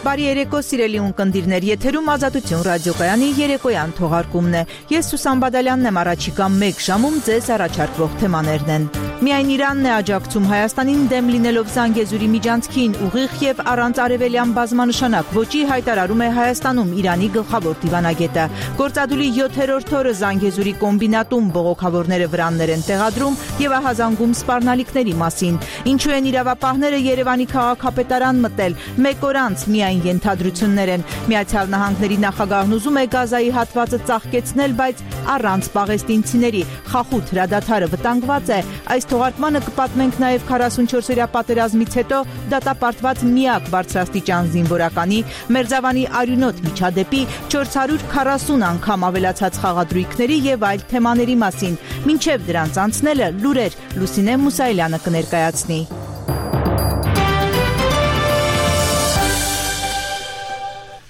Բարի երեկո, սիրելի ունկնդիրներ, եթերում Ազատություն ռադիոկայանի երեկոյան թողարկումն է։ Ես Սուսան Բադալյանն եմ, առաջիկա 1 ժամում ձեզ առաջարկվող թեմաներն են։ Միայն Իրանն է աջակցում Հայաստանին դեմ լինելով Զանգեզուրի միջանցքին, ուղիղ եւ առանց արևելյան բազմանշանակ ոճի հայտարարում է Հայաստանում Իրանի գլխավոր դիվանագետը։ Գործադուլի 7-րդ օրը Զանգեզուրի կոմբինատում բողոքավորները վրաններ են տեղադրում եւ ահազանգում սպառնալիքների մասին։ Ինչու են իրավապահները Երևանի քաղաքապետարան մտել, 1 օր անց միայն ենթադրություններ են։ Միացյալ Նահանգների նախագահն ուզում է Գազայի հատվածը ծաղկեցնել, բայց առանց պաղեստինցիների։ Խախուտ հրադադարը վտանգված է։ Այս թողարկմանը կպատմենք նաև 44-օրյա պատերազմից հետո դատապարտված միակ բարձրաստիճան զինվորականի Մերձավանի արյունոտ միջադեպի 440 անգամ ավելացած խաղադրույքների եւ այլ թեմաների մասին։ Մինչև դրանց անցնելը լուրեր Լուսինե Մուսայելյանը կներկայացնի։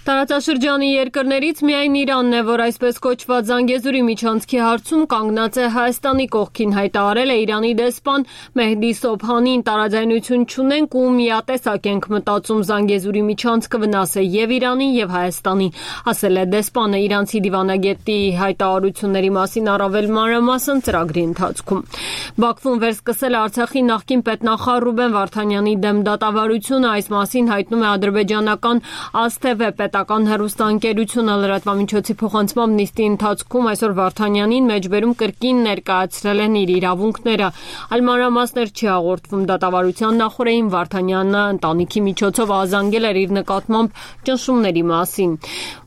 Տարածաշրջանի երկրներից միայն Իրանն է, որ այսպես կոչված Զանգեզուրի միջանցքի հարցում կանգնած է Հայաստանի կողքին, հայտարարել է Իրանի դեսպան Մեհդի Սոբհանին։ Տարաձայնություն չունենք ու միատեսակ ենք մտածում, Զանգեզուրի միջանցքը վնաս է եւ Իրանին եւ Հայաստանին, ասել է դեսպանը իրանցի դիվանագետի հայտարարությունների մասին առավել մանրամասն ծրագրի ընթացքում։ Բաքվում վերսկսել է Արցախի նախկին պետնախարար Ռուբեն Վարդանյանի դեմ դատավարությունը, այս մասին հայտնում է ադրբեջանական ASTV պետական հեռուստաընկերությունը լրատվամիջոցի փոխանցմամբ նիստի ընթացքում այսօր Վարդանյանին մեջբերում կրկին ներկայացրել են իր իրավունքները։ Այլ մանրամասներ չի հաղորդվում դատավարության նախօրեին Վարդանյանը ընտանիքի միջոցով ազանգել էր իր նկատմամբ ճնշումների մասին։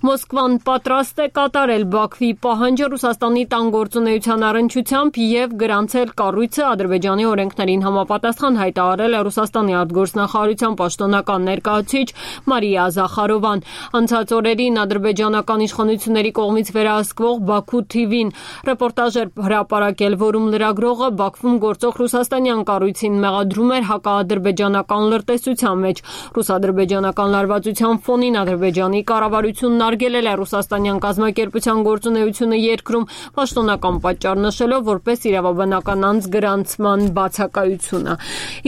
Մոսկվան պատրաստ է կատարել Բաքվի պահանջը Ռուսաստանի տան գործունեության առնչությամբ եւ գրանցել կառույցը Ադրբեջանի օրենքներին համապատասխան, հայտարարել է Ռուսաստանի արտգործնախարարության պաշտոնական ներկայացուցիչ Մարիա Զախարովան։ Անցած օրերին ադրբեջանական իշխանությունների կողմից վերահսկվող Բաքու TV-ին ռեպորտաժ էր հրապարակել, որում լրագրողը Բաքվում գործող ռուսաստանյան կառույցին մեղադրում էր հակաադրբեջանական լրտեսության մեջ։ Ռուս-ադրբեջանական լարվածության ֆոնին Ադրբեջանի կառավարությունն արգելել է ռուսաստանյան կազմակերպության գործունեությունը երկրում, պաշտոնական պատճառ նշելով որպես իրավաբանական անձ գրանցման բացակայությունը։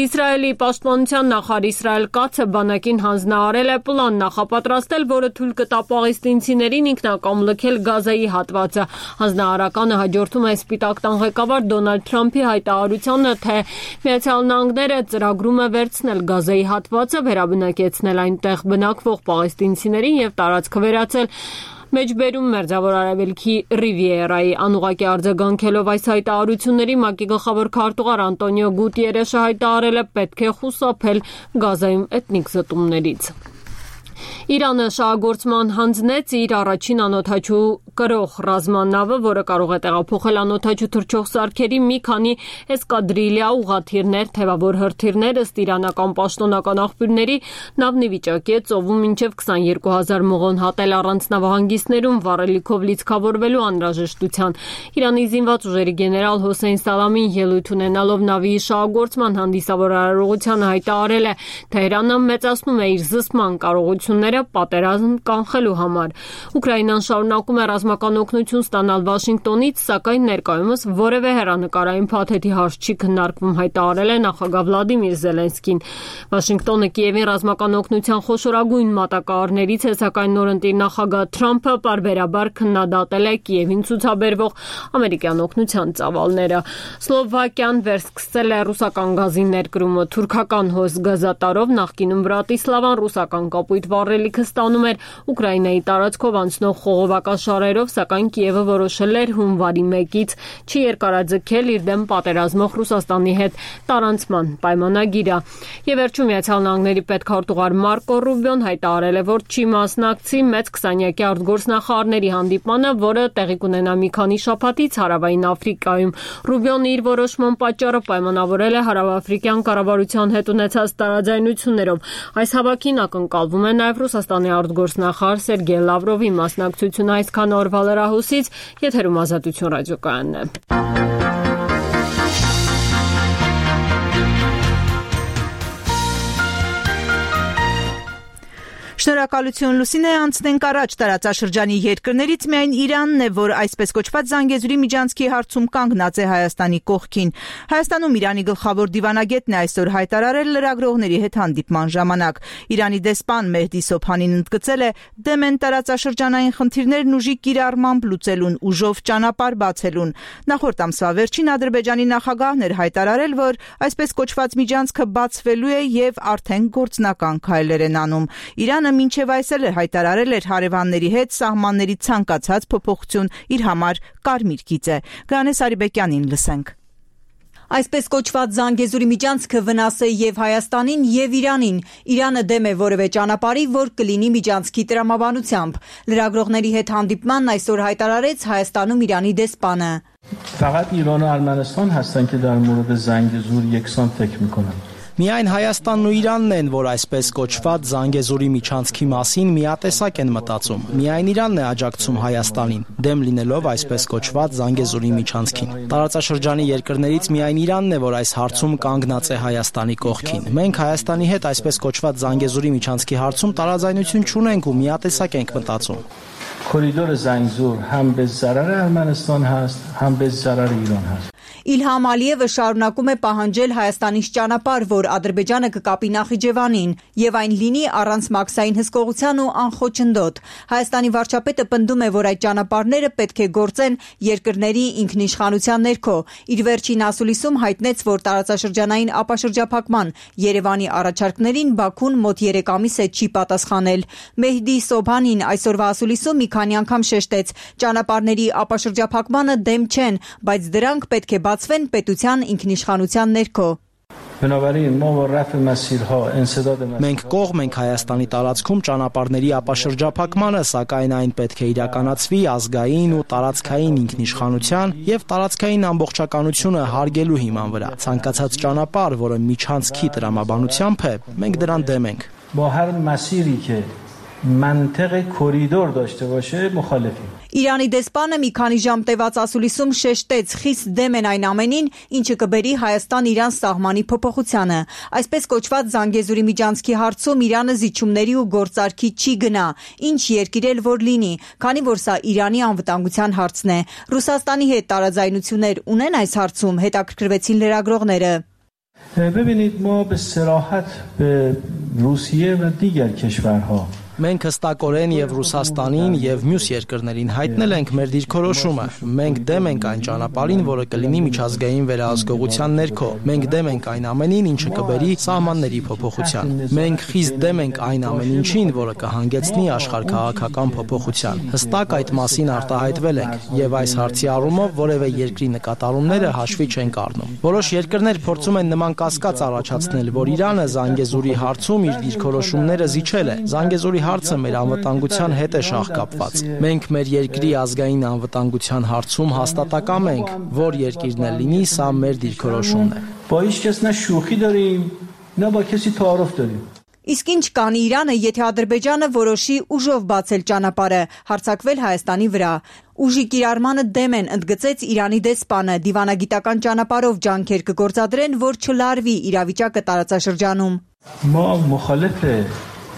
Իսրայելի պաշտպանության նախարար Իսրայել Կացը բանակին հանձնարարել է պլան նախապատրաստել, որը թույլ կտա պաղեստինցիներին ինքնակամ լքել Գազայի հատվածը։ Հանձնարարականը հաջորդում է Սպիտակ տան ղեկավար Դոնալդ Թրամփի հայտարարությանը, թե Միացյալ Նահանգները ծրագրում է վերցնել Գազայի հատվածը, վերաբնակեցնել այնտեղ բնակվող պաղեստինցիներին եւ տարածքը վերածել մեջբերում Մերձավոր Արևելքի Ռիվիերայի։ Անուղղակի արձագանքելով այս հայտարարությունների ՄԱԿ-ի գլխավոր քարտուղար Անտոնիո Գուտիերեշը հայտարարել է պետք է խուսափել Գազայում էթնիկ զտումներից։ Իրանը շահագործման հանձնեց իր առաջին անօդաչու կրող ռազմանավը, որը կարող է տեղափոխել անօդաչու թռչող սարքերի մի քանի էսկադրիլյա ուղղաթիռներ, թևավոր հրթիռներ, ըստ իրանական պաշտոնական աղբյուրների, նավն ի վիճակի է ծովում մինչև 22,000 մղոն հատել առանց նավահանգիստներում վառելիքով լիցքավորվելու անհրաժեշտության։ Իրանի զինված ուժերի գեներալ Հոսեյն Սալամին ելույթ ունենալով նավի շահագործման հանդիսավոր արարողությանը հայտարարել է, Թեհրանը մեծացնում է իր զսպման կարողությունները պատերազմ կանխելու համար։ Ուկրաինան շարունակում է ռազմական օգնություն ստանալ Վաշինգտոնից, սակայն ներկայումս որևէ հեռանկարային փաթեթի հարց չի քննարկվում, հայտարարել է նախագահ Վլադիմիր Զելենսկին։ Վաշինգտոնը Կիևին ռազմական օգնության խոշորագույն մատակարարներից է, սակայն նորընտիր նախագահ Թրամփը պարբերաբար քննադատել է Կիևին ցուցաբերվող ամերիկյան օգնության ծավալները։ Սլովակիան վերսկսել է ռուսական գազի ներկրումը թուրքական հոս գազատարով, նախկինում Բրատիսլավան ռուսական կապույտ վառելիքը ստանում էր Ուկրաինայի տարածքով անցնող խողովակաշարերով, սակայն Կիևը որոշել էր հունվարի 1-ից չի երկարաձգել իր դեմ պատերազմող Ռուսաստանի հետ տարանցման պայմանագիրը։ Եվ վերջում Միացյալ Նահանգների պետքարտուղար Մարկո Ռուբիոն հայտարարել է, որ չի մասնակցի մեծ 20-յակի արտգործնախարարների հանդիպմանը, որը տեղի կունենա մի քանի շաբաթից Հարավային Աֆրիկայում։ Ռուբիոն իր որոշման պատճառը պայմանավորել է հարավաֆրիկյան կառավարության հետ ունեցած տարաձայնություններով։ Այս հավաքին ակնկալվում է նաև Ռուսաստանի արտգործնախարար Սերգեյ Լավրովի մասնակցությունը։ Այսքան օրվա լրահոսից եթերում Ազատություն ռադիոկայանն է։ Շնորհակալություն Լուսինե, անցնենք առաջ տարածաշրջանի երկրներից միայն Իրանն է, որ այսպես կոչված Զանգեզուրի միջանցքի հարցում կանգնած է Հայաստանի կողքին։ Հայաստանում Իրանի գլխավոր դիվանագետն է այսօր հայտարարել լրագրողների հետ հանդիպման ժամանակ։ Իրանի դեսպան Մեհդի Սոփանին ընդգծել է դեմ են տարածաշրջանային խնդիրներն ուժի կիրառմամբ լուծելուն, ուժով ճանապարհ բացելուն։ Նախորդ ամսվա վերջին Ադրբեջանի նախագահն էր հայտարարել, որ այսպես կոչված միջանցքը բացվելու է եւ արդեն գործնական քայլեր են անում։ Իրանը մինչև այսօր հայտարարել էր հարևանների հետ սահմանների ցանկացած փոփոխություն իր համար կարմիր գիծ է։ Գրանե Սարիբեկյանին լսենք։ Այսպես կոչված Զանգեզուրի միջանցքը վնաս է եւ Հայաստանին եւ Իրանին։ Իրանը դեմ է որևէ ճանապարհի, որ կլինի միջանցքի տրամաբանությամբ։ Լրագրողների հետ հանդիպմանն այսօր հայտարարեց Հայաստանում Իրանի դեսպանը։ فقط ایران و ارمنستان هستن که در مورد زنگزور یکسان فکر میکنن. Միայն Հայաստանն ու Իրանն են, որ այսպես կոչված Զանգեզուրի միջանցքի մասին միատեսակ են մտածում։ Միայն Իրանն է աջակցում Հայաստանին, դեմ լինելով այսպես կոչված Զանգեզուրի միջանցքին։ Տարածաշրջանի երկրներից միայն Իրանն է, որ այս հարցում կանգնած է Հայաստանի կողքին։ Մենք Հայաստանի հետ այսպես կոչված Զանգեզուրի միջանցքի հարցում տարաձայնություն չունենք ու միատեսակ ենք մտածում։ کوریدور زنگزور هم به ضرر ارمنستان هست هم به ضرر ایران هست. Իլհամ Ալիևը շարունակում է պահանջել Հայաստանից ճանապարհ, որ Ադրբեջանը կկապի Նախիջևանին, եւ այն լինի առանց մաքսային հսկողության ու անխոչնդոտ։ Հայաստանի վարչապետը պնդում է, որ այդ ճանապարհները պետք է գործեն երկրների ինքնիշխանության ներքո։ Իր վերջին ասուլիսում հայտնեց, որ տարածաշրջանային ապաշրջափակման Երևանի առաջարկներին Բաքուն մոտ 3 ամիս է չի պատասխանել։ Մեհդի Սոփանին այսօրվա ասուլիսում մի քանի անգամ շեշտեց, ճանապարհների ապաշրջափակմանը դեմ չեն, բայց դրանք պետք է բացվեն պետության ինքնիշխանության ներքո։ Մենք կողմ ենք Հայաստանի տարածքում ճանապարհների ապաշրջափակմանը, սակայն այն պետք է իրականացվի ազգային ու տարածքային ինքնիշխանության եւ տարածքային ամբողջականությունը հարգելու հիման վրա։ Ցանկացած ճանապարհ, որը միջանցքի տրամաբանությամբ է, մենք դրան դեմ ենք։ منطق کوریدور داشته باشه مخالفیم. Իրանի դեսպանը մի քանի ժամ տևած ասուլիսում շեշտեց, խիստ դեմ են այն ամենին, ինչը կբերի Հայաստան-Իրան սահմանի փոփոխությանը։ Այսպես կոչված Զանգեզուրի միջանցքի հարցում Իրանը զիջումների ու գործարքի չի գնա, ինչ երկիր էլ որ լինի, քանի որ սա Իրանի անվտանգության հարցն է։ Ռուսաստանի հետ տարաձայնություններ ունեն այս հարցում, հետաքրքրվեցին լրագրողները։ ببینید ما به صراحت به روسیه و دیگر کشورها Մենք հստակորեն եւ Ռուսաստանին եւ մյուս երկրներին հայտնել ենք մեր դիրքորոշումը։ Մենք դեմ ենք այն ճանապարհին, որը կլինի միջազգային վերահսկողության ներքո։ Մենք դեմ ենք այն ամենին, ինչը կբերի սահմանների փոփոխության։ Մենք խիստ դեմ ենք այն ամեն ինչին, որը կհանգեցնի աշխարհքաղաքական փոփոխության։ Հստակ այդ մասին արտահայտվել ենք եւ այս հարցի առումով որևէ երկրի նկատառումները հաշվի չենք առնում։ Որոշ երկրներ փորձում են նման կասկած առաջացնել, որ Իրանը Զանգեզուրի հարցում իր դիրքորոշումները զիջել է։ Զանգեզուրի հարցը մեր անվտանգության հետ է շահկապված։ Մենք մեր երկրի ազգային անվտանգության հարցում հաստատակամ ենք, որ երկիրն էլ լինի, սա մեր դիրքորոշումն է։ با هیچ کس نه شوخی داریم نه با کسی تعارف داریم. Իսկ ինչ կանի Իրանը, եթե Ադրբեջանը որոշի ուժով բացել ճանապարհը, հարձակվել Հայաստանի վրա։ Ուժի կիրառմանը դեմ են, ընդգծեց Իրանի դեսպանը, դիվանագիտական ճանապարհով ջանքեր կգործադրեն, որ չլարվի իրավիճակը տարածաշրջանում։ ما مخالف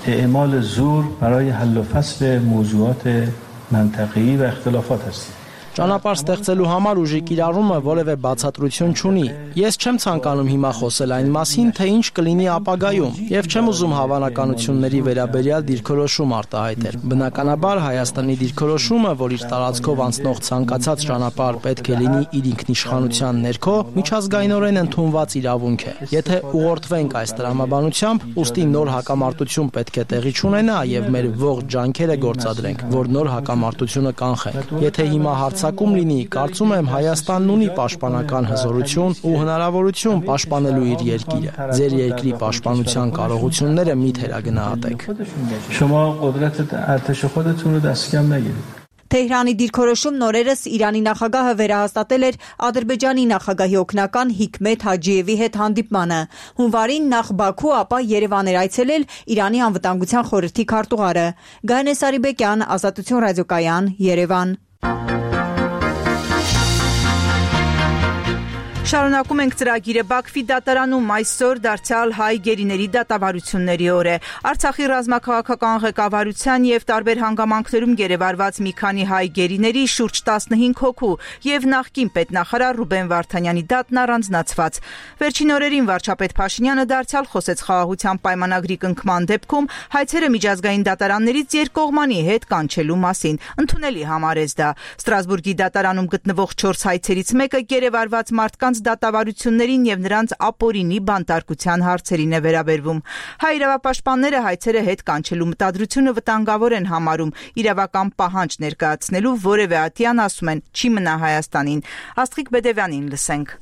اعمال زور برای حل و فصل موضوعات منطقه‌ای و اختلافات هستیم. Ճանապարհ ստեղծելու համար ուժի կիրառումը որևէ բացատրություն չունի։ Ես չեմ ցանկանում հիմա խոսել այն մասին, թե ինչ կլինի ապագայում, եւ չեմ ուզում հավանականությունների վերաբերյալ դիրքորոշում արտահայտել։ Բնականաբար Հայաստանի դիրքորոշումը, որ իր տարածքով անցնող ցանկացած ճանապարհ պետք է լինի իր ինքնիշխանության ներքո, միջազգայինորեն ընդունված իրավունք է։ Եթե ուղղորդվենք այս տրամաբանությամբ, ուստի նոր հակամարտություն պետք է տեղի չունենա եւ մեր ողջ ջանքերը գործադրենք, որ նոր հակամարտությունը կանխենք։ Եթե հիմա Ակում լինի, կարծում եմ Հայաստանն ունի պաշտպանական հզորություն ու հնարավորություն պաշտպանելու իր երկիրը։ Ձեր երկրի պաշտպանության կարողությունները մի թերագնահատեք։ Թեհրանի դիրքորոշումն օրերս Իրանի նախագահը վերահաստատել էր Ադրբեջանի նախագահի օգնական Հիկմեթ Հաջիևի հետ հանդիպմանը։ Հունվարին նախ Բաքու, ապա Երևան էր այցելել Իրանի անվտանգության խորհրդի քարտուղարը։ Գայանե Սարիբեկյան, Ազատություն ռադիոկայան, Երևան։ Շարունակում ենք ծրագիրը Բաքվի դատարանում այսօր դարձյալ հայ գերիների դատավարությունների օր է։ Արցախի ռազմաքաղաքական ղեկավարության եւ տարբեր հանգամանքներում գերեվարված մի քանի հայ գերիների շուրջ 15 հոգու եւ նախկին պետնախարար Ռուբեն Վարդանյանի դատն առանձնացված։ Վերջին օրերին վարչապետ Փաշինյանը դարձյալ խոսեց խաղաղության պայմանագրի կնքման դեպքում հայցերը միջազգային դատարաններից երկկողմանի հետ կանչելու մասին։ Ընդունելի համարեց դա։ Ստրասբուրգի դատարանում գտնվող 4 հայցերից մեկը գերեվարված մարդկանց դատավարություններին եւ նրանց ապօրինի բանտարկության հարցերին է վերաբերվում։ Հայ իրավապաշտպանները հայցերը հետ կանչելու մտադրությունը վտանգավոր են համարում, իրավական պահանջ ներկայացնելու որևէ ատյան, ասում են, չի մնա Հայաստանին։ Աստղիկ Բեդևյանին լսենք։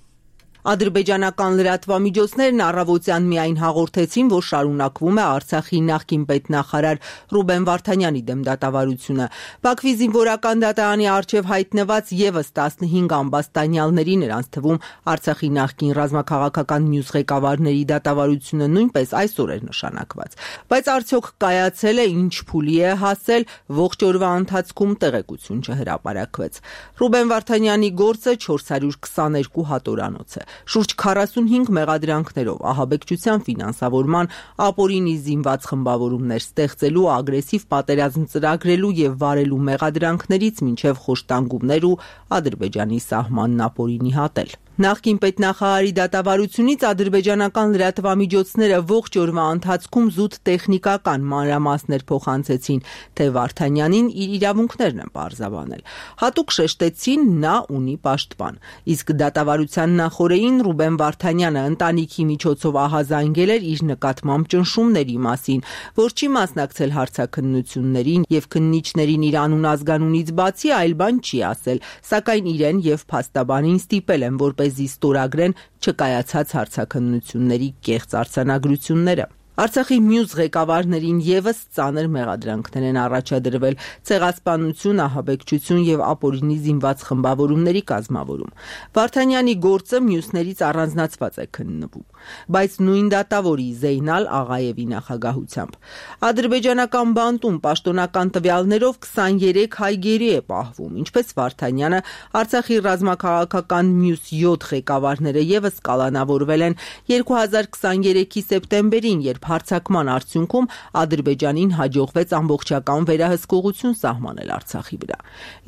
Ադրբեջանական լրատվամիջոցներն առավոտյան միայն հաղորդեցին, որ շարունակվում է Արցախի նախկին պետնախարար Ռուբեն Վարդանյանի դեմ դատավարությունը։ Բաքվի զինվորական դատարանի առջև հայտնված եւս 15 ամբաստանյալների, նրանց թվում Արցախի նախկին ռազմաքաղաքական մյուս ղեկավարների դատավարությունը նույնպես այսօր էր նշանակված։ Բայց արդյոք կայացել է, ինչ փուլի է հասել, ողջ օրվա ընթացքում տեղեկություն չհրապարակվեց։ Ռուբեն Վարդանյանի գործը 422 հատորանոց է։ Շուրջ 45 մեղադրանքներով ահաբեկչության ֆինանսավորման, ապօրինի զինված խմբավորումներ ստեղծելու, ագրեսիվ պատերազմ ծրագրելու եւ վարելու մեղադրանքներից մինչեւ խոշտանգումներ ու Ադրբեջանի սահմանն ապօրինի հատել։ Նախկին պետնախարարի դատավարությունից ադրբեջանական լրատվամիջոցները ողջ օրվա ընթացքում զուտ տեխնիկական մանրամասներ փոխանցեցին, թե Վարդանյանին իր իրավունքներն են պարզաբանել։ Հատուկ շեշտեցին, նա ունի պաշտպան։ Իսկ դատավարության նախօրեին Ռուբեն Վարդանյանը ընտանիքի միջոցով ահազանգել էր իր նկատմամբ ճնշումների մասին, որ չի մասնակցել հարցաքննություններին եւ քննիչներին իր անուն ազգանունից բացի այլ բան չի ասել, սակայն իրեն եւ փաստաբանին ստիպել են, որպեսզի ստորագրեն չկայացած հարցաքննությունների կեղծ արձանագրությունները։ Արցախի մյուս ղեկավարներին եւս ծանր մեղադրանքներ են առաջադրվել՝ ցեղասպանություն, ահաբեկչություն եւ ապօրինի զինված խմբավորումների կազմավորում։ Վարդանյանի գործը մյուսներից առանձնացված է քննվում, բայց նույն դատավորի Զեյնալ Աղաևի նախագահությամբ։ Ադրբեջանական բանտում պաշտոնական տվյալներով 23 հայ գերի է պահվում, ինչպես Վարդանյանը, Արցախի ռազմաքաղաքական մյուս 7 ղեկավարները եւս կալանավորվել են 2023-ի սեպտեմբերին, երբ հարձակման արդյունքում Ադրբեջանին հաջողվեց ամբողջական վերահսկողություն սահմանել Արցախի վրա։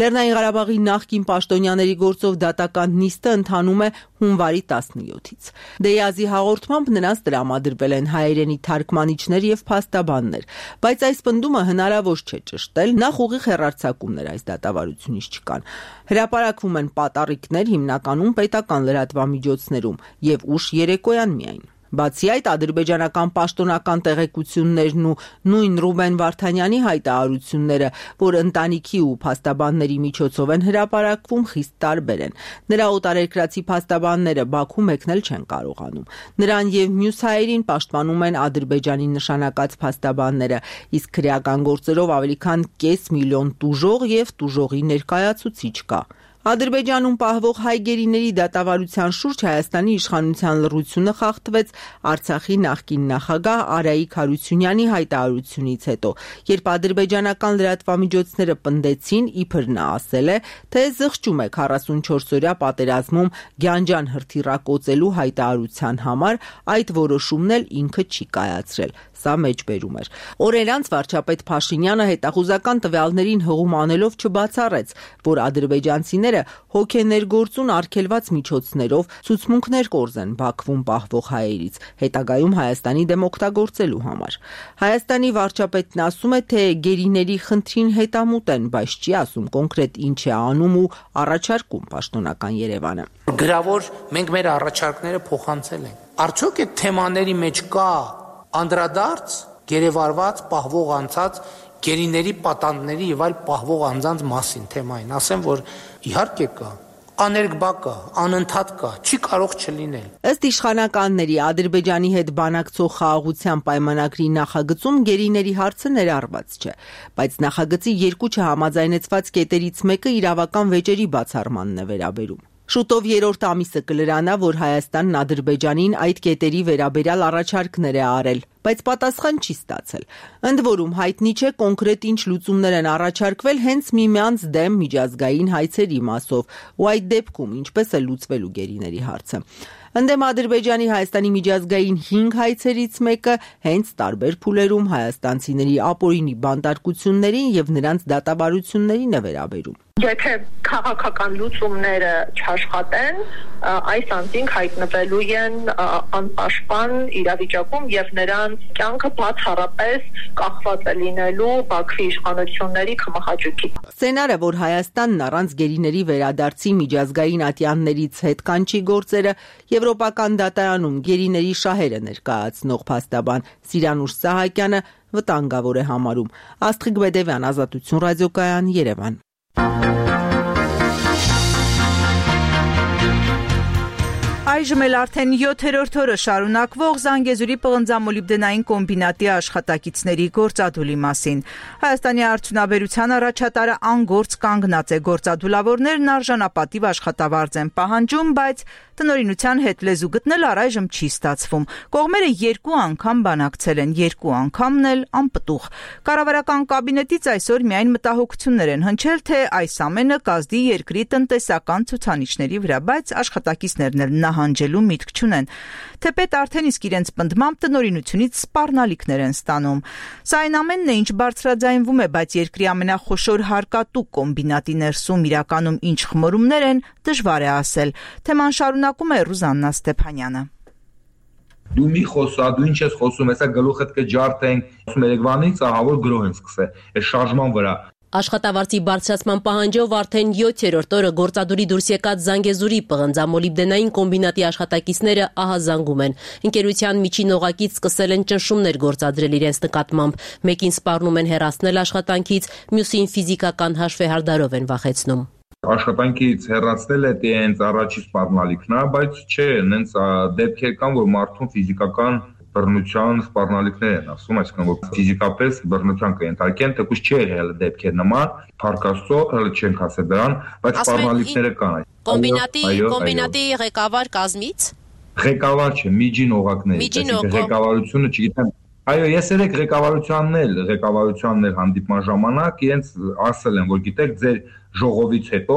Լեռնային Ղարաբաղի նախկին պաշտոնյաների գործով դատական նիստը ընթանում է հունվարի 17-ից։ Դեյազի հաղորդմամբ նրանց տրամադրվել են հայերենի թարգմանիչներ եւ փաստաբաններ, բայց այս պնդումը հնարավոր չէ ճշտել, նախ ուղիղ հեռարձակումներ այս դատավարությունից չկան։ Հրապարակվում են պատառիկներ հիմնականում պետական լրատվամիջոցներում եւ ուշ երեկոյան միայն։ Բացի այդ, ադրբեջանական պաշտոնական տեղեկություններն ու նույն Ռուբեն Վարդանյանի հայտարարությունները, որ ընտանիքի ու փաստաբանների միջոցով են հրապարակվում, խիստ տարբեր են։ Նրա օտարերկրացի փաստաբանները Բաքու մեկնել չեն կարողանում։ Նրան եւ մյուս հայերին պաշտպանում են Ադրբեջանի նշանակած փաստաբանները, իսկ քրեական գործերով ավելի քան 500,000 տուժող եւ տուժողի ներկայացուցիչ կա։ Ադրբեջանում պահվող հայ գերիների դատավարության շուրջ Հայաստանի իշխանության լռությունը խախտվեց Արցախի նախկին նախագահ Արայիկ Հարությունյանի հայտարարությունից հետո, երբ ադրբեջանական լրատվամիջոցները պնդեցին, իբր նա ասել է, թե զղջում է 44-օրյա պատերազմում Գյանջան հրթիռակոծելու հայտարարության համար, այդ որոշումն էլ ինքը չի կայացրել։ Սա մեջբերում էր։ Օրեր անց վարչապետ Փաշինյանը հետախուզական տվյալներին հղում անելով չբացառեց, որ ադրբեջանցիները հոգեներգործուն արգելված միջոցներով ցուցմունքներ կորզեն Բաքվում պահվող հայերից, հետագայում Հայաստանի դեմ օգտագործելու համար։ Հայաստանի վարչապետն ասում է, թե գերիների խնդրին հետամուտ են, բայց չի ասում կոնկրետ ինչ է անում ու առաջարկում պաշտոնական Երևանը։ Գրավոր մենք մեր առաջարկները փոխանցել ենք։ Արդյոք այդ թեմաների մեջ կա անդրադարձ գերեվարված պահվող անձած գերիների պատանդների եւ այլ պահվող անձանց մասին թեմային, ասեմ, որ իհարկե կա, աներկբա կա, անընդհատ կա, չի կարող չլինել։ Ըստ իշխանականների Ադրբեջանի հետ բանակցող խաղաղության պայմանագրի նախագծում գերիների հարցը ներառված չէ, բայց նախագծի երկու չհամաձայնեցված կետերից մեկը իրավական վեճերի բացառմանն է վերաբերում։ Շուտով երրորդ ամիսը կլրանա, որ Հայաստանն Ադրբեջանին այդ կետերի վերաբերյալ առաջարկներ է արել, բայց պատասխան չի ստացել։ Ընդ որում հայտնի չէ կոնկրետ ինչ լուծումներ են առաջարկվել հենց միմյանց դեմ միջազգային հայցերի մասով, ու այդ դեպքում ինչպես է լուծվելու գերիների հարցը։ Ընդդեմ Ադրբեջանի Հայաստանի միջազգային 5 հայցերից մեկը հենց տարբեր փուլերում հայաստանցիների ապօրինի բանտարկություններին եւ նրանց դատավարություններին է վերաբերում։ Եթե քաղաքական լուծումները չաշխատեն, այս անձինք հայտնվելու են անպաշտպան իրավիճակում եւ նրանց կյանքը բացառապես կախված է լինելու Բաքվի իշխանությունների կմախաճուկից։ Սցենարը, որ Հայաստանն առանց գերիների վերադարձի միջազգային ատյաններից հետ կանչի գործերը, Եվրոպական դատարանում գերիների շահերը ներկայացնող փաստաբան Սիրանուշ Սահակյանը վտանգավոր է համարում։ Աստղիկ Բեդևյան, Ազատություն ռադիոկայան, Երևան։ Այժմ էլ արդեն 7-րդ օրը շարունակվող Զանգեզուրի պղնձամոլիբդենային կոմբինատի աշխատակիցների գործադուլի մասին։ Հայաստանի արդյունաբերության առաջատարը անգործ կանգնած է, գործադուլավորներն արժանապատիվ աշխատավարձ են պահանջում, բայց տնօրինության հետ լեզու գտնել առայժմ չի ստացվում։ Կողմերը 2 անգամ բանակցել են, 2 անգամն էլ անպտուղ։ Կառավարական կաբինետից այսօր միայն մտահոգություններ են հնչել, թե այս ամենը կազդի երկրի տնտեսական ցուցանիշների վրա, բայց աշխատակիցներն էլ նահանջելու միտք չունեն։ Թեպետ արդեն իսկ իրենց պնդմամբ տնօրինությունից սպառնալիքներ են ստանում։ Սա այն ամենն է, ինչ բարձրաձայնվում է, բայց երկրի ամենախոշոր հարկատու կոմբինատի ներսում իրականում ինչ խմորումներ են, դժվար է ասել։ Թեման շարունակում է Ռուզաննա Ստեփանյանը։ Դու մի խոսադու ինչ ես խոսում, հեսա գլուխդ կջարդենք, ասում Երևանից ահավոր գրոհ են սկսել, այս շարժման վրա։ Աշխատավարձի բարձրացման պահանջով արդեն 7-րդ օրը գործադուլի դուրս եկած Զանգեզուրի պղնձամոլիբդենային կոմբինատի աշխատակիցները ահազանգում են։ Ընկերության միջին օղակից սկսել են ճնշումներ գործադրել իրենց նկատմամբ։ Մեկին սպառնում են հեռացնել աշխատանքից, մյուսին ֆիզիկական հաշվեհարդարով են վախեցնում։ Աշխատանքից հեռացնել է դենց առաջի սպառնալիքն է, բայց չէ, նենց դեպքեր կան, որ մարդուն ֆիզիկական բռնության սպառնալիքներ են ասում, այսինքն որ ֆիզիկապես բռնության կենթարկեն, թեկուզ չէ հել դեպքեր նման, փառքաստո հələ չենք ասել դրան, բայց սպառնալիքները կան։ Կոմբինատի ղեկավար կազմից ղեկավար չէ, միջին օղակներից, այսինքն ղեկավարությունը չգիտեմ։ Այո, ես երեք ղեկավարությանն էլ հանդիպման ժամանակ իրենց ասել են, որ գիտեք, ձեր ժողովից հետո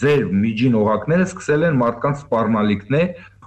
ձեր միջին օղակները սկսել են մարդկանց սպառնալիքներ,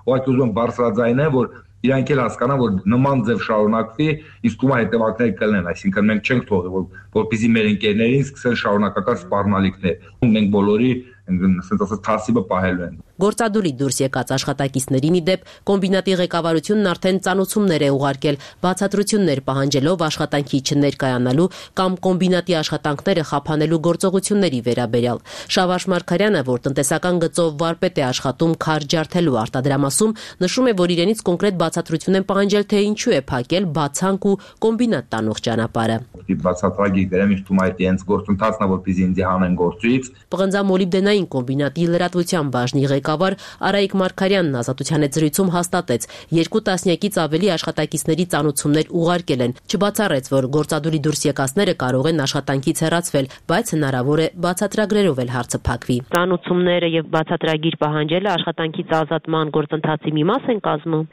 ու այդ ուզում եմ բարձրաձայնել, որ իրանք էլ հասկանան, որ նման ձև շարունակվի, իսկ ումա հետևանքներ կլինեն, այսինքն մենք չենք թողի, որպեսզի մեր ընկերներին սկսեն շարունակական սպառնալիքներ։ Մենք բոլորի ասենց ասած թասիբը պահելու են։ Գործադուլի դուրս եկած աշխատակիցներին ի դեպ կոմբինատի ղեկավարությունն արդեն ծանուցումներ է ուղարկել, բացատրություններ պահանջելով աշխատանքի չներկայանալու կամ կոմբինատի աշխատանքները խափանելու գործողությունների վերաբերյալ։ Շավարժ Մարգարյանը, որ տնտեսական գծով վարպետ է աշխատում քար ջարդելու արտադրամասում, նշում է, որ իրենից կոնկրետ բացատրություն են պահանջել, թե ինչու է փակել բացանք ու կոմբինատ տանող ճանապարհը։ Բացատրագի դերեմ իշխում այդ իրենց գործընթացն է, որպեսզի ինձ հանեն գործից։ Պղնձամոլիբդենային կոմբինատի լրատվության բաժնի ղեկավար Արայիկ Մարգարյանն Ազատության հետ զրույցում հաստատեց, 2 տասնյակից ավելի աշխատակիցների ծանուցումներ ուղարկել են, չբացառեց, որ գործադուլի դուրս եկածները կարող են աշխատանքից հեռացվել, բայց հնարավոր է բացատրագրերով էլ հարցը փակվի։ Ծանուցումները եւ բացատրագիր պահանջելը աշխատանքից ազատման գործընթացի մի մաս են կազմում։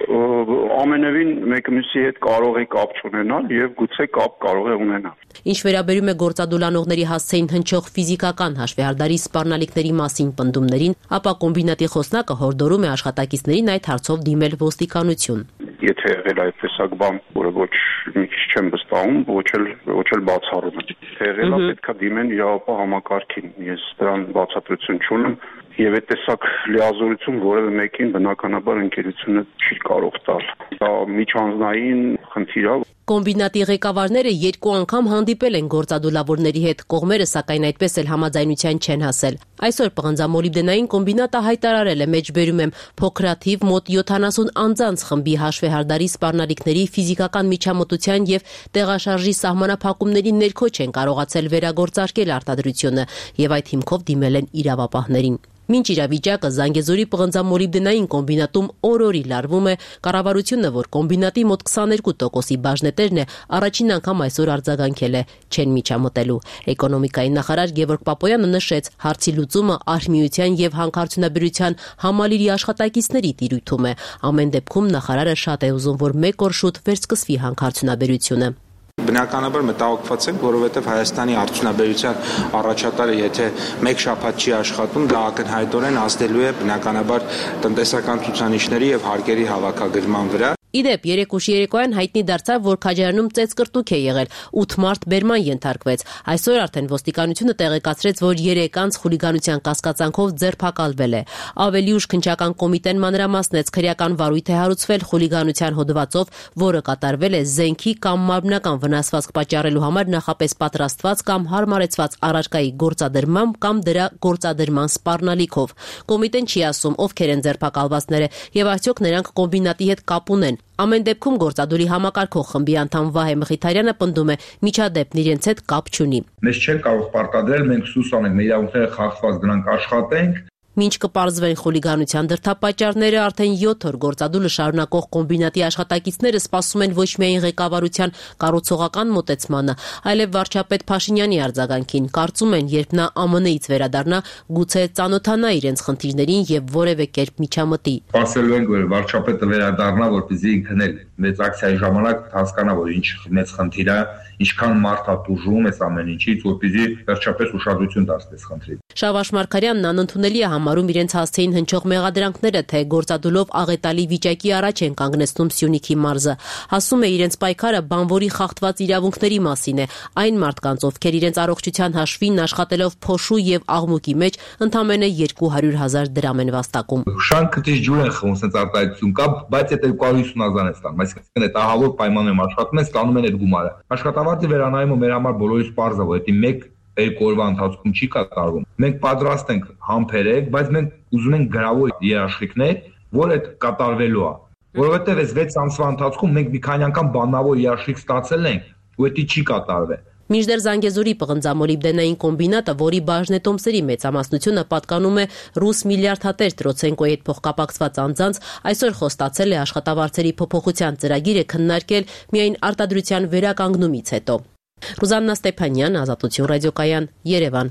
Ամենևին մեկը մյուսի հետ կարող է կապ չունենալ եւ գուցե կապ կարող է ունենալ։ Ինչ վերաբերում է գործադուլանողների հասցեին հնչող ֆիզիկական հաշվեհարդարի սպառնալիքների մասին պնդումներին, ապա կոմբինատի խոսնակը հորդորում է աշխատակիցներին այդ հարցով դիմել ոստիկանություն։ Եթե եղել այդ տեսակ բան, որը ոչ մի քիչ չեմ վստահում, ոչ էլ բացառում եմ։ Թե եղել է պետքա դիմեն իրավապահ համակարգին։ Ես դրան բացատրություն չունեմ եւ այդ տեսակ լիազորություն որևէ մեկին բնականաբար ընկերությունը չի կարող տալ։ Դա միջանձնային խնդիր է։ Կոմբինատի ղեկավարները 2 անգամ հանդիպել են գործադուլավորների հետ, կողմերը սակայն այդպես էլ համաձայնության չեն հասել։ Այսօր պղնձամոլիբդենային կոմբինատը հայտարարել է, մեջբերում եմ, փոքրաթիվ մոտ 70 անձանց խմբի հաշվեհարդարի սպառնալիքների ֆիզիկական միջամտության եւ տեղաշարժի սահմանափակումների ներքո չեն կարողացել վերագործարկել արտադրությունը եւ այդ հիմքով դիմել են իրավապահներին։ Մինչ իրավիճակը Զանգեզուրի պղնձամոլիբդենային կոմբինատում օր-օրի լարվում է, կառավարությունը, որ կոմբինատի մոտ 22%-ի բաժն է փոխնետերն է առաջին անգամ այսօր արձագանքել է չեն միջամտելու։ Էկոնոմիկայի նախարար Գևորգ Պապոյանը նշեց, հարցի լուծումը Արհմիության եւ հանքարդյունաբերության համալիրի աշխատակիցների տիրույթում է։ Ամեն դեպքում նախարարը շատ է ուզում, որ մեկ օր շուտ վերսկսվի հանքարդյունաբերությունը։ Բնականաբար մտահոգված ենք, որովհետև Հայաստանի արդյունաբերության առաջատարը եթե մեկ շաբաթ չի աշխատում, դա ակնհայտորեն ազդելու է բնականաբար տնտեսական ցուցանիշների եւ հարկերի հավաքագրման վրա։ Իդեպ, երեկուշի երեկոյան հայտնի դարձավ, որ Քաջարանում ծեծկրտուք է եղել, 8 մարդ բերման ենթարկվեց։ Այսօր արդեն ոստիկանությունը տեղեկացրեց, որ 3 անձ խուլիգանության կասկածանքով ձերբակալվել է։ Ավելի ուշ քննչական կոմիտեն մանրամասնեց, քրեական վարույթ է հարուցվել խուլիգանության հոդվածով, որը կատարվել է զենքի կամ մարմնական վնասվածք պատճառելու համար նախապես պատրաստված կամ հարմարեցված առարկայի գործադրմամբ կամ դրա գործադրման սպառնալիքով։ Կոմիտեն չի ասում, ովքեր են ձերբակալվածները եւ արդյոք նրանք կոմբինատի հետ կապ ունեն։ Ամեն դեպքում գործադուլի համակարգող խմբի անդամ Վահե Մխիթարյանը պնդում է, միջադեպն իրենց հետ կապ չունի։ Մեզ չեն կարող պարտադրել, մենք սուս անենք, մեր իրավունքները խախտված գնանք աշխատենք։ Մինչ կպարզվեն խուլիգանության դրդապատճառները, արդեն 7 օր գործադուլը շարունակող կոմբինատի աշխատակիցները սպասում են ոչ միայն ղեկավարության կառուցողական մոտեցմանը, այլև վարչապետ Փաշինյանի արձագանքին։ Կարծում են, երբ նա ԱՄՆ-ից վերադառնա, գուցե ծանոթանա իրենց խնդիրներին եւ որևէ կերպ միջամտի։ Սպասելու ենք, որ վարչապետը վերադառնա, որպեսզի ինքն էլ մեծ ակցիայի ժամանակ հասկանա, որ ինչ մեծ խնդիր է, ինչքան մարդ է տուժում այս ամեն ինչից, որպեսզի վերջապես ուշադրություն դարձնի խնդրին։ Շավարժ Մարգարյանն անընդունելի է համարում իրենց հասցեին հնչող մեղադրանքները, թե գործադուլով աղետալի վիճակի առաջ են կանգնեցնում Սյունիքի մարզը։ Ասում է, իրենց պայքարը բանվորի խախտված իրավունքների մասին է, այն մարդկանց, ովքեր իրենց առողջության հաշվին աշխատելով փոշու եւ աղմուկի մեջ ընդամենը 200,000 դրամ են վաստակում։ Շանքը դժ ջուր են խմում, sense արտահայտություն կա, բայց այդ 250,000 է ստանում, այսինքն այդ ահավոր պայմաններում աշխատում են, ստանում են այդ գումարը։ Աշխատավարձի վերանայումը մեր համար բոլորիս պարզ է, որ դա մեկ երկու օրվա ընթացքում չի կատարվում։ Մենք պատրաստ ենք համբերել, բայց մենք ուզում ենք գրավոր երաշխիքներ, որ այդ կատարվելու է։ Որովհետև այս 6 ամսվա ընթացքում մենք մի քանի անգամ բանավոր երաշխիք ստացել ենք, ու դա չի կատարվել։ Մինչդեռ Զանգեզուրի պղնձամոլիբդենային կոմբինատը, որի բաժնետոմսերի մեծամասնությունը պատկանում է ռուս միլիարդատեր Տրոցենկոյի հետ փոխկապակցված անձանց, այսօր խոստացել է աշխատավարձերի փոփոխության ծրագիրը քննարկել միայն արտադրության վերականգնումից հետո։ Ռուզաննա Ստեփանյան, Ազատություն ռադիոկայան, Երևան։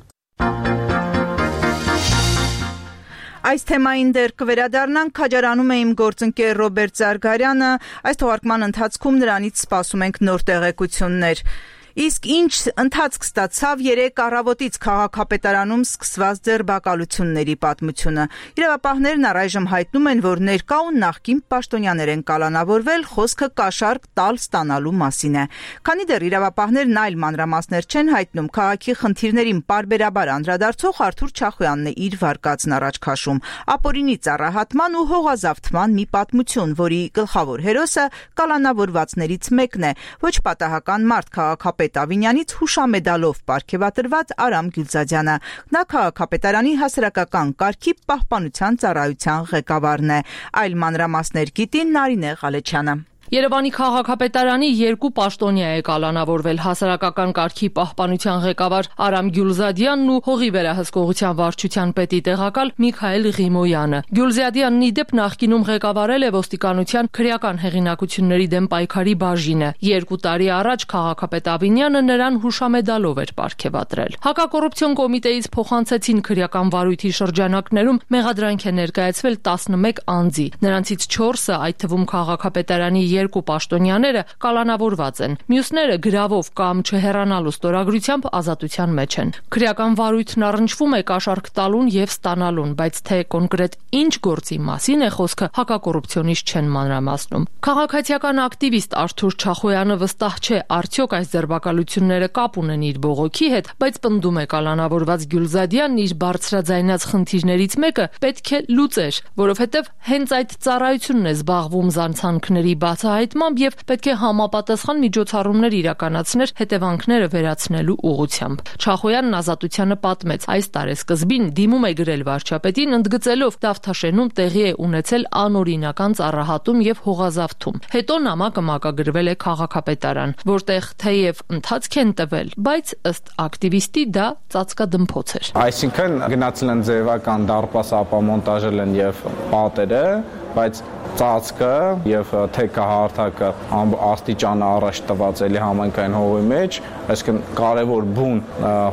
Այս թեմային դեռ կվերադառնանք, Քաջարանում է իմ գործընկեր Ռոբերտ Զարգարյանը, այս թողարկման ընթացքում նրանից սպասում ենք նոր տեղեկություններ։ Իսկ ինչ ընթացք ստացավ 3 առավոտից քաղաքապետարանում սկսված ձերբակալությունների պատմությունը։ Իրավապահներն առայժմ հայտնում են, որ ներկա ու նախկին պաշտոնյաներ են կալանավորվել, խոսքը կաշառք տալ ստանալու մասին է։ Քանի դեռ իրավապահներն այլ մանրամասներ չեն հայտնում, քաղաքի խնդիրներին պարբերաբար անդրադարձող Արթուր Չախոյանն է իր վարկածն առաջ քաշում։ Ապօրինի ծառահատման ու հողազավթման մի պատմություն, որի գլխավոր հերոսը կալանավորվածներից մեկն է, ոչ պատահական մարդ քաղաքապետ Ավինյանից հուշամեդալով պարգևատրված Արամ Գյուլզադյանը։ Նա քաղաքապետարանի հասարակական կարգի պահպանության ծառայության ղեկավարն է։ Այլ մանրամասներ գիտի Նարինե Ղալեչյանը։ Երևանի քաղաքապետարանի 2 պաշտոնյա է կալանավորվել հասարակական կարգի պահպանության ղեկավար Արամ Գյուլզադյանն ու հողի վերահսկողության վարչության պետի տեղակալ Միքայել Ղիմոյանը։ Գյուլզադյանն իդեպ նախկինում ղեկավարել է ոստիկանության քրեական հեղինակությունների դեմ պայքարի բաժինը։ 2 տարի առաջ քաղաքապետ Ավինյանը նրան հուշամեդալով էր պարգևատրել։ Հակակոռուպցիոն կոմիտեից փոխանցեցին քրեական վարույթի շրջանակներում մեղադրանք է ներկայացվել 11 անձի։ Նրանցից 4-ը, այդ թվում քաղաքապետարանի 2 պաշտոնյաները կալանավորված են։ Մյուսները գրավով կամ չհեռանալու ստորագրությամբ ազատության մեջ են։ Քրեական վարույթն առնչվում է կաշառք տալուն եւ ստանալուն, բայց թե կոնկրետ ինչ գործի մասին է խոսքը, հակակոռուպցիոնից չեն մանրամասնում։ Քաղաքացիական ակտիվիստ Արթուր Չախոյանը վստահ չէ, արդյոք այս ձերբակալությունները կապ ունեն իր բողոքի հետ, բայց պնդում է կալանավորված Գյուլզադյանն իր բարձրաձայնած խնդիրներից մեկը պետք է լուծեր, որովհետեւ հենց այդ ծառայությունն է զբաղվում զանցանքների բացահայտմամբ եւ պետք է համապատասխան միջոցառումներ իրականացներ հետևանքները վերացնելու ուղղությամբ։ Չախոյանն Ազատությանը պատմեց, այս տարեսկզբին դիմում է գրել վարչապետին, ընդգծելով Դավթաշենում տեղի է ունեցել անօրինական ծառահատում եւ հողազավթում։ Հետո նամակը մակագրվել է քաղաքապետարան, որտեղ թեև ընթացք են տվել, բայց ըստ ակտիվիստի դա ծածկադմփոց էր։ Այսինքն գնացել են ձևական դարպաս ապամոնտաժել են եւ պատերը բայց ծածկը եւ թեքահարթակը աստիճանը առաջ տված էլի համայնքային հողի մեջ, այսինքն կարևոր բուն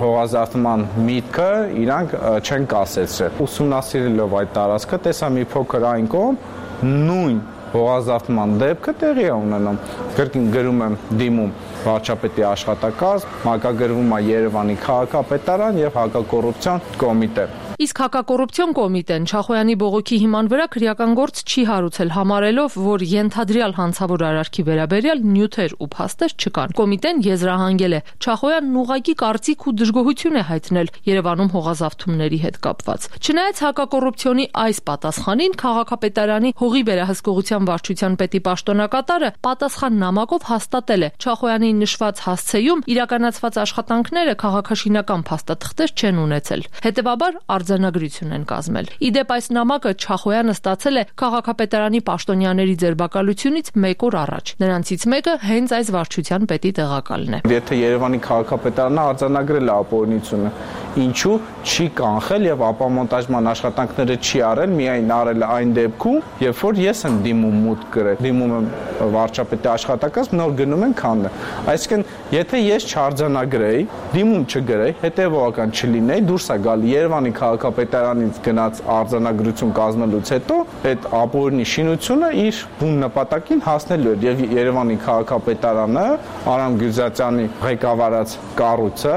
հողազարդման միտքը իրանք չեն կասեցրել։ Ուսումնասիրելով այդ տարածքը տեսա մի փոքր այն կողմ նույն հողազարդման դեպքը տեղի է ունենում։ Կրկին գրում եմ դիմում վարչապետի աշխատակազմ, մակագրվում է Երևանի քաղաքապետարան եւ հակակոռուպցիոն կոմիտե։ Իսկ հակակոռուպցիոն կոմիտեն Չախոյանի բողոքի հիման վրա քրեական գործ չի հարուցել, համարելով, որ ենթադրյալ հանցավոր արարքի վերաբերյալ նյութեր ու փաստեր չկան։ Կոմիտեն եզրահանգել է Չախոյանն ուղղակի կարծիք ու դժգոհություն է հայտնել Երևանում հողազավթումների հետ կապված։ Չնայած հակակոռուպցիոնի այս պատասխանին քաղաքապետարանի հողի վերահսկողության վարչության պետի պաշտոնակատարը պատասխան նամակով հաստատել է Չախոյանի նշված հասցեում իրականացված աշխատանքները քաղաքաշինական փաստաթղթեր չեն ունեցել։ Հետևաբար արձանագրություն են կազմել։ Իդեպ այս նամակը Չախոյանը ստացել է քաղաքապետարանի պաշտոնյաների ձերբակալությունից 1 օր առաջ։ Նրանցից մեկը հենց այս վարչության պետի տեղակալն է։ Եթե Երևանի քաղաքապետարանը արձանագրել է ապօրինությունը, ինչու չի կանխել եւ ապամոնտաժման աշխատանքները չի արել, միայն արել այն դեպքում, երբ որ ես եմ դիմում մուտք գրել, դիմում եմ վարչապետի աշխատակազմ, նոր գնում են քանդը։ Այսինքն, եթե ես չարձանագրեի, դիմում չգրեի, հետեւողական չլինեի, դուրս է գալի Երևանի քաղաքապետարանից գնաց արձանագրություն կազմելուց հետո այդ ապօրինի շինությունը իր բուն նպատակին հասնելու էր եւ Երևանի քաղաքապետարանը Արամ Գյուզյանի ղեկավարած կառույցը,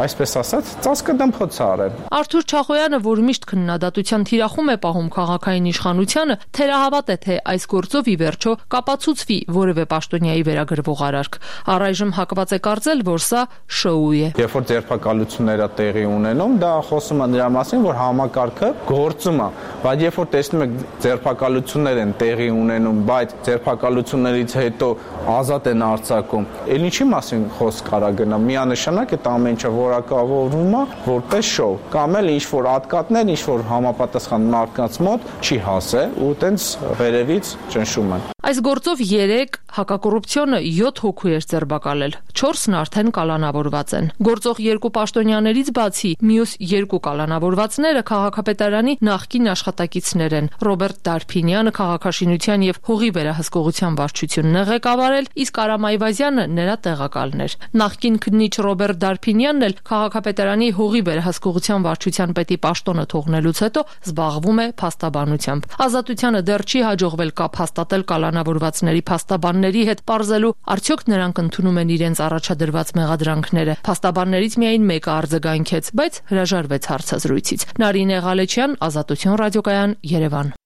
այսպես ասած, ծածկը դմփոց արել։ Արթուր Չախոյանը, որ միշտ քննադատության թիրախում է պահում քաղաքային իշխանությանը, թերահավատ է, թե այս գործով ի վերջո կապացուցվի որևէ պաշտոնյայի վերագրվող արարք։ Առայժմ հակված է կարծել, որ սա շոու է։ Երբ որ ձերբակալությունները տեղի ունենում, դա խոսում է նրա մասին, որ համակարգը գործում է, բայց երբ որ տեսնում եք ձերբակալություններ են տեղի ունենում, բայց ձերբակալություններից հետո ազատ են արձակում, ել ինչի մասին խոսք կարա գնա, միանշանակ այդ ամեն ինչը որակավորվում է որպես շոու, կամ էլ ինչ-որ ատկատներ, ինչ-որ համապատասխան մարդկանց մոտ չի հասել ու տենց վերևից ճնշում են։ Այս գործով 3 հակակոռուպցիոնը 7 հոգու էր ձերբակալել, 4-ն արդեն կալանավորված են։ Գործող 2 պաշտոնյաներից բացի մյուս 2 կալանավորվածները քաղաքապետարանի նախկին աշխատակիցներ են։ Ռոբերտ Դարփինյանը քաղաքաշինության եւ հողի վերահսկողության վարչությունն է ղեկավարել, իսկ Արամ Այվազյանը նրա տեղակալն էր։ Նախկին քննիչ Ռոբերտ Դարփինյանն էլ քաղաքապետարանի հողի վերահսկողության վարչության պետի պաշտոնը թողնելուց հետո զբաղվում է փաստաբանությամբ։ Ազատությանը դեռ չի հաջողվել կապ հաստատել կալանավորվածների փաստաբանների հետ, պարզելու արդյոք նրանք ընդունում են իրենց առաջադրված մեղադրանքները։ Փաստաբաններից միայն մեկը արձագանքեց, բայց հրաժարվեց հարցազրույցից։ Նարինե Ղալեչյան, Ազատություն ռադիոկայան, Երևան։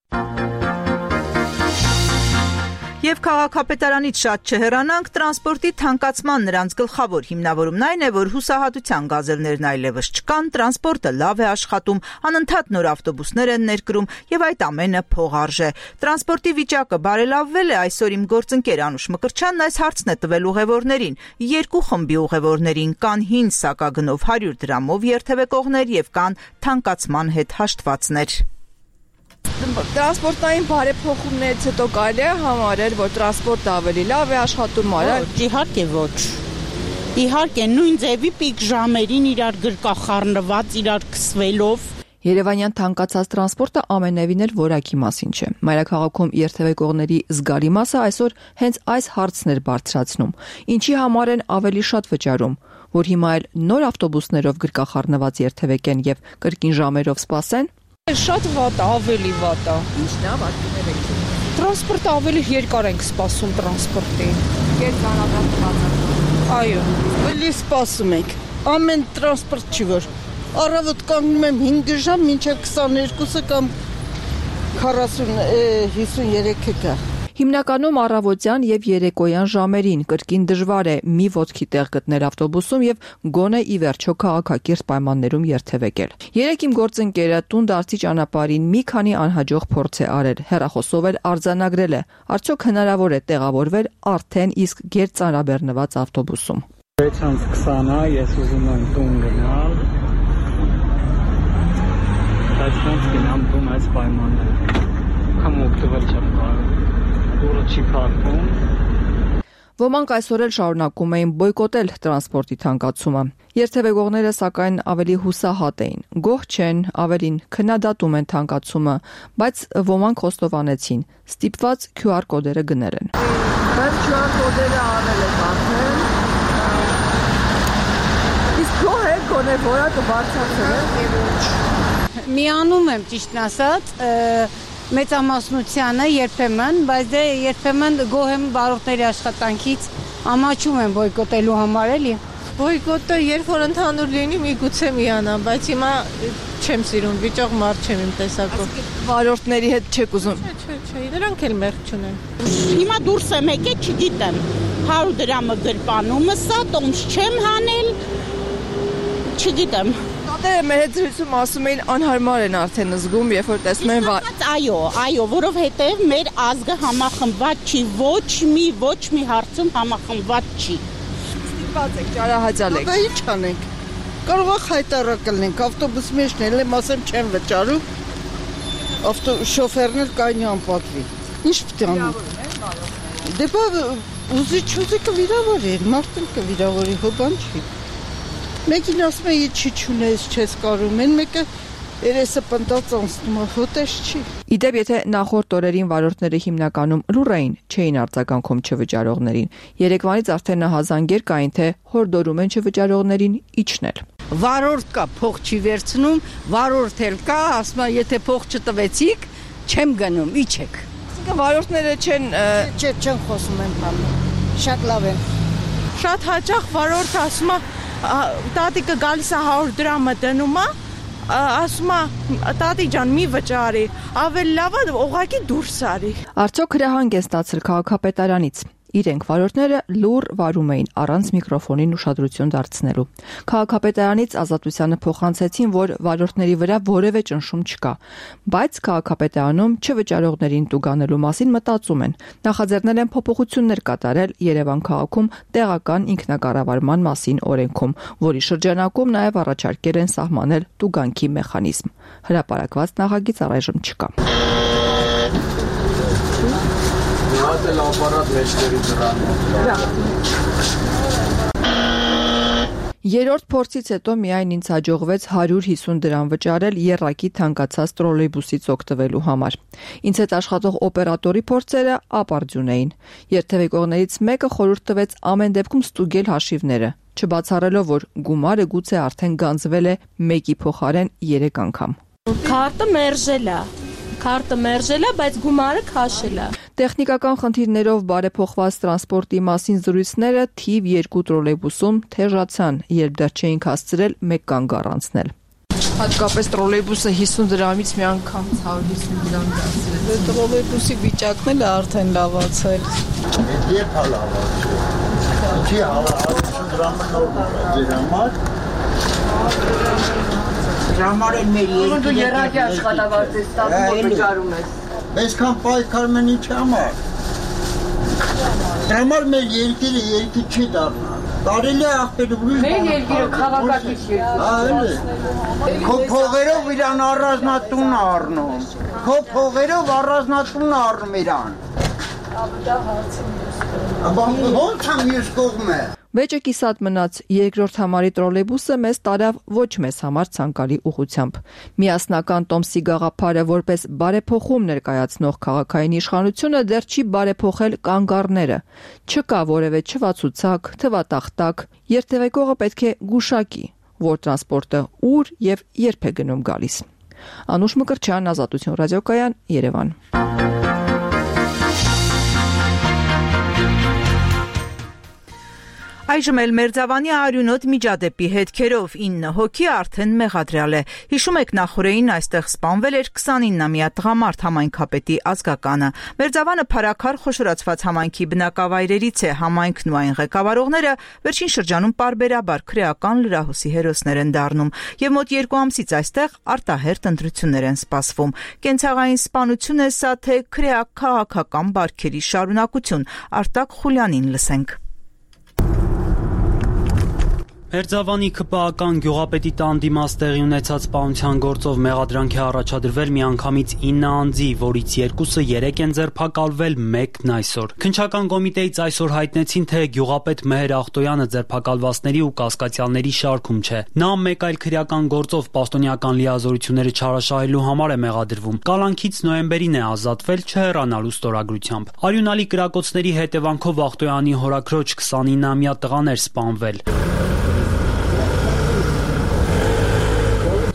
Եվ քաղաքապետարանից շատ չհեռանանք, տրանսպորտի թանկացման նրանց գլխավոր հիմնավորումն այն է, որ հուսահատության գազելներն այլևս չկան, տրանսպորտը լավ է աշխատում, անընդհատ նոր ավտոբուսներ են ներկրում եւ այդ ամենը փողարժ է։ Տրանսպորտի վիճակը բարելավվել է, այսօր իմ գործընկեր Անուշ Մկրտչյանն այս հարցն է տվել ուղևորներին։ 2 խմբի ուղևորներին կան հին սակագնով 100 դրամով երթևեկողներ եւ կան թանկացման հետ հաշտվածներ։ Տրանսպորտային բարեփոխումներից հետո կարելի է համարել, որ տրանսպորտը ավելի լավ է աշխատում, արագ։ Իհարկե ոչ։ Իհարկե նույն ձևի պիկ ժամերին իրար գրկախառնված, իրար քսվելով։ Երևանյան թանկացած տրանսպորտը ամենևին էլ որակի մասին չէ։ Մայրաքաղաքում երթևեկողների զգալի մասը այսօր հենց այս հարցն էր բարձրացնում։ Ինչի համար են ավելի շատ վճարում, որ հիմա էլ նոր ավտոբուսներով գրկախառնված երթևեկեն եւ կրկին ժամերով սպասեն։ Շատ վատ է, ավելի վատ է։ Ինչն է վատը։ Տրանսպորտը ավելի երկար ենք սպասում տրանսպորտին։ Այո, ավելի սպասում ենք։ Ամեն տրանսպորտ չի որ։ Առավոտ կանգնում եմ 5 ժամ, մինչև 22-ը կամ 40-53-ը գա։ Հիմնականում առավոտյան եւ երեկոյան ժամերին կրկին դժվար է մի ոտքի տեղ գտնել ավտոբուսում եւ գոնե ի վերջո քաղաքակիրթ պայմաններում երթևեկել։ Երեք իմ գործընկերը տուն-դարձի ճանապարհին մի քանի անհաջող փորձ է արել, հեռախոսով էլ արձանագրել է, արդյոք հնարավոր է տեղավորվել արդեն իսկ գերծանրաբեռնված ավտոբուսում։ 6:20-ը ես ուզում եմ տուն գնալ։ Բայց ոնց գնամ տուն այս պայմաններում։ Կամ օգտվել չեմ կարող։ Դուրը չի փակվում։ Ոմանք այսօր էլ շարունակում էին բոյկոտել տրանսպորտի թանկացումը։ Երթևեկողները սակայն ավելի հուսահատ էին։ Գոհ չեն, ավելին քննադատում են թանկացումը, բայց ոմանք խոստովանեցին, ստիպված QR կոդերը գնել են։ Բայց QR կոդերը անել եք արդեն։ Իսկ գոհ եք, գոնե որակը բարձրացել է։ Միանում եմ ճիշտն ասած, մեծամասնությանը երբեմն, բայց դե երբեմն գոհ եմ վարորդների աշխատանքից, ամաչում եմ բոյկոտելու համար էլի։ Բոյկոտը երբ որ ընդհանուր լինի, միգուցե միանամ, բայց հիմա չեմ սիրում, վիճող մարդ չեմ իմ տեսակով։ Վարորդների հետ չեք ուզում։ Չէ, դրանք էլ մեղք չունեն։ Հիմա դուրս եմ եկել, չգիտեմ, 100 դրամը գրպանումը սա, տոմս չեմ հանել, չգիտեմ։ Շատերը մեր հետ զրույցում ասում էին անհարմար են արդեն զգում, երբ որ տեսնում են Այո, որովհետև մեր ազգը համախմբված չի, ոչ մի հարցում համախմբված չի։ Ստիպված եք, ճարահաճալ եք։ Դա ինչ անենք։ Կարող է խայտարակել ենք, ավտոբուսի մեջ էլ եմ ասեմ չեմ վճարում։ Շոֆերն էլ կայնի անպատվի։ Ինչ պետք է անեմ։ Դե բա ուզի կվիրավորի, մարդն կվիրավորի, հո բան չի։ Մեկին ասում է չի չունես, չես կարում են, մեկը երեսը պնդած անցնում է, հոտես չի։ Իդեպ, եթե նախորդ օրերին վարորդները հիմնականում լուռ էին, չէին արձագանքում չվճարողներին, երեկվանից արդեն նահազանգեր կային, թե հորդորում են չվճարողներին իջնել։ Վարորդ կա, փող չի վերցնում, վարորդ էլ կա, ասում է եթե փող չտվեցիք, չեմ գնում, իջեք։ Այսինքն վարորդները չեն խոսում են բանը։ Շատ լավ են։ Շատ հաճախ վարորդը ասում է տատիկը գալիս է 100 դրամը դնում է, ասում է տատի ջան մի վճարի, ավելի լավ է ուղղակի դուրս արի։ Արդյոք հրահանգ է ստացել քաղաքապետարանից։ Իրենք վարորդները լուռ վարում էին առանց միկրոֆոնին ուշադրություն դարձնելու։ Քաղաքապետարանից Ազատությանը փոխանցեցին, որ վարորդների վրա որևէ ճնշում չկա, բայց քաղաքապետարանում չվճարողներին տուգանելու մասին մտածում են։ Նախաձեռնել են փոփոխություններ կատարել Երևան քաղաքում տեղական ինքնակառավարման մասին օրենքում, որի շրջանակում նաև առաջարկել են սահմանել տուգանքի մեխանիզմ։ Հրապարակված նախագիծ առայժմ չկա։ Երրորդ փորձից հետո միայն ինձ հաջողվեց 150 դրամ վճարել եռակի թանկացած տրոլեյբուսից օգտվելու համար։ Ինձ հետ աշխատող օպերատորի փորձերը ապարդյուն էին։ Երթևեկողներից մեկը խորհուրդ տվեց ամեն դեպքում ստուգել հաշիվները, չբացառելով, որ գումարը գուցե արդեն գանձվել է մեկի փոխարեն 3 անգամ։ Քարտը մերժել է, բայց գումարը քաշել է։ Տեխնիկական խնդիրներով բարեփոխված տրանսպորտի մասին զրույցները թիվ 2 տրոլեյբուսում թեժացան, երբ դեռ չէին հասցրել մեկ կանգ առանցնել։ Հատկապես տրոլեյբուսը 50 դրամից մի անգամ 150 դրամ դարձել։ Տրոլեյբուսի վիճակն էլ արդեն լավացել։ Երբ է լավացել։ Չի 150 դրամը նոր համար։ Ժամարել մեր երկիրը։ Դու երակի աշխատավարձ ես ստանում, վճարում ես։ Այսքան պայքարում են ի՞նչ համար։ Դրամար մեր երկիրը երկիր չի դառնա։ Կարելի է աղբեր ուրիշ։ Մեր երկիրը քաղաքակիր երկիր։ Քո փողերով իրան առանձնատուն առնում։ Քո փողերով առանձնատուն առնում իրան։ Ոնց է մյուս կողմը։ Վեճը կիսատ մնաց, երկրորդ համարի տրոլեյբուսը մեզ տարավ ոչ մեզ համար ցանկալի ուղղությամբ։ Միասնական Տոմսի գաղափարը որպես բարեփոխում ներկայացնող քաղաքային իշխանությունը դեռ չի բարեփոխել կանգառները։ Չկա որևէ չվացուցակ, թվատախտակ, երթևեկողը պետք է գուշակի, որ տրանսպորտը ուր եւ երբ է գնում գալիս։ Անուշ Մկրտչյան, Ազատություն ռադիոկայան, Երևան։ Այժմ էլ Մերձավանի արյունոտ միջադեպի հետքերով 9 հոգի արդեն մեղադրյալ է։ Հիշում եք նախորդին այստեղ սպանվել էր 29-ամյա տղամարդ համայնքապետի ազգականը։ Մերձավանը փառաքար խոշորացված համայնքի բնակավայրերից է, համայնքն ու այն ղեկավարողները վերջին շրջանում պարբերաբար քրեական լրահոսի հերոսներ են դառնում եւ մոտ 2 ամսից այստեղ արտահերթ ընտրություններ են սպասվում։ Կենցաղային սպանություն է սա, թե քրեական բարքերի շարունակություն։ Արտակ Խուլյանին լսենք։ Մերձավանի ԿՊԱ-ական գյուղապետի տան դիմաց տեղի ունեցած սպանության գործով մեղադրանք է առաջադրվել միանգամից 9 անձի, որից 2-ը 3 են ձերբակալվել, 1-ն այսօր։ Քննչական կոմիտեից այսօր հայտնեցին, թե գյուղապետ Մեհեր Ախտոյանը ձերբակալվածների ու կասկածյալների շարքում չէ։ Նա մեկ այլ քրեական գործով պաշտոնյական լիազորությունները չարաշահելու համար է մեղադրվում։ Կալանքից նոյեմբերին է ազատվել չհեռանալու ստորագրությամբ։ Արյունալի կրակոցների հետևանքով Ախտոյանի հորաքրոջ 29-ամյա տղան էր սպանվել։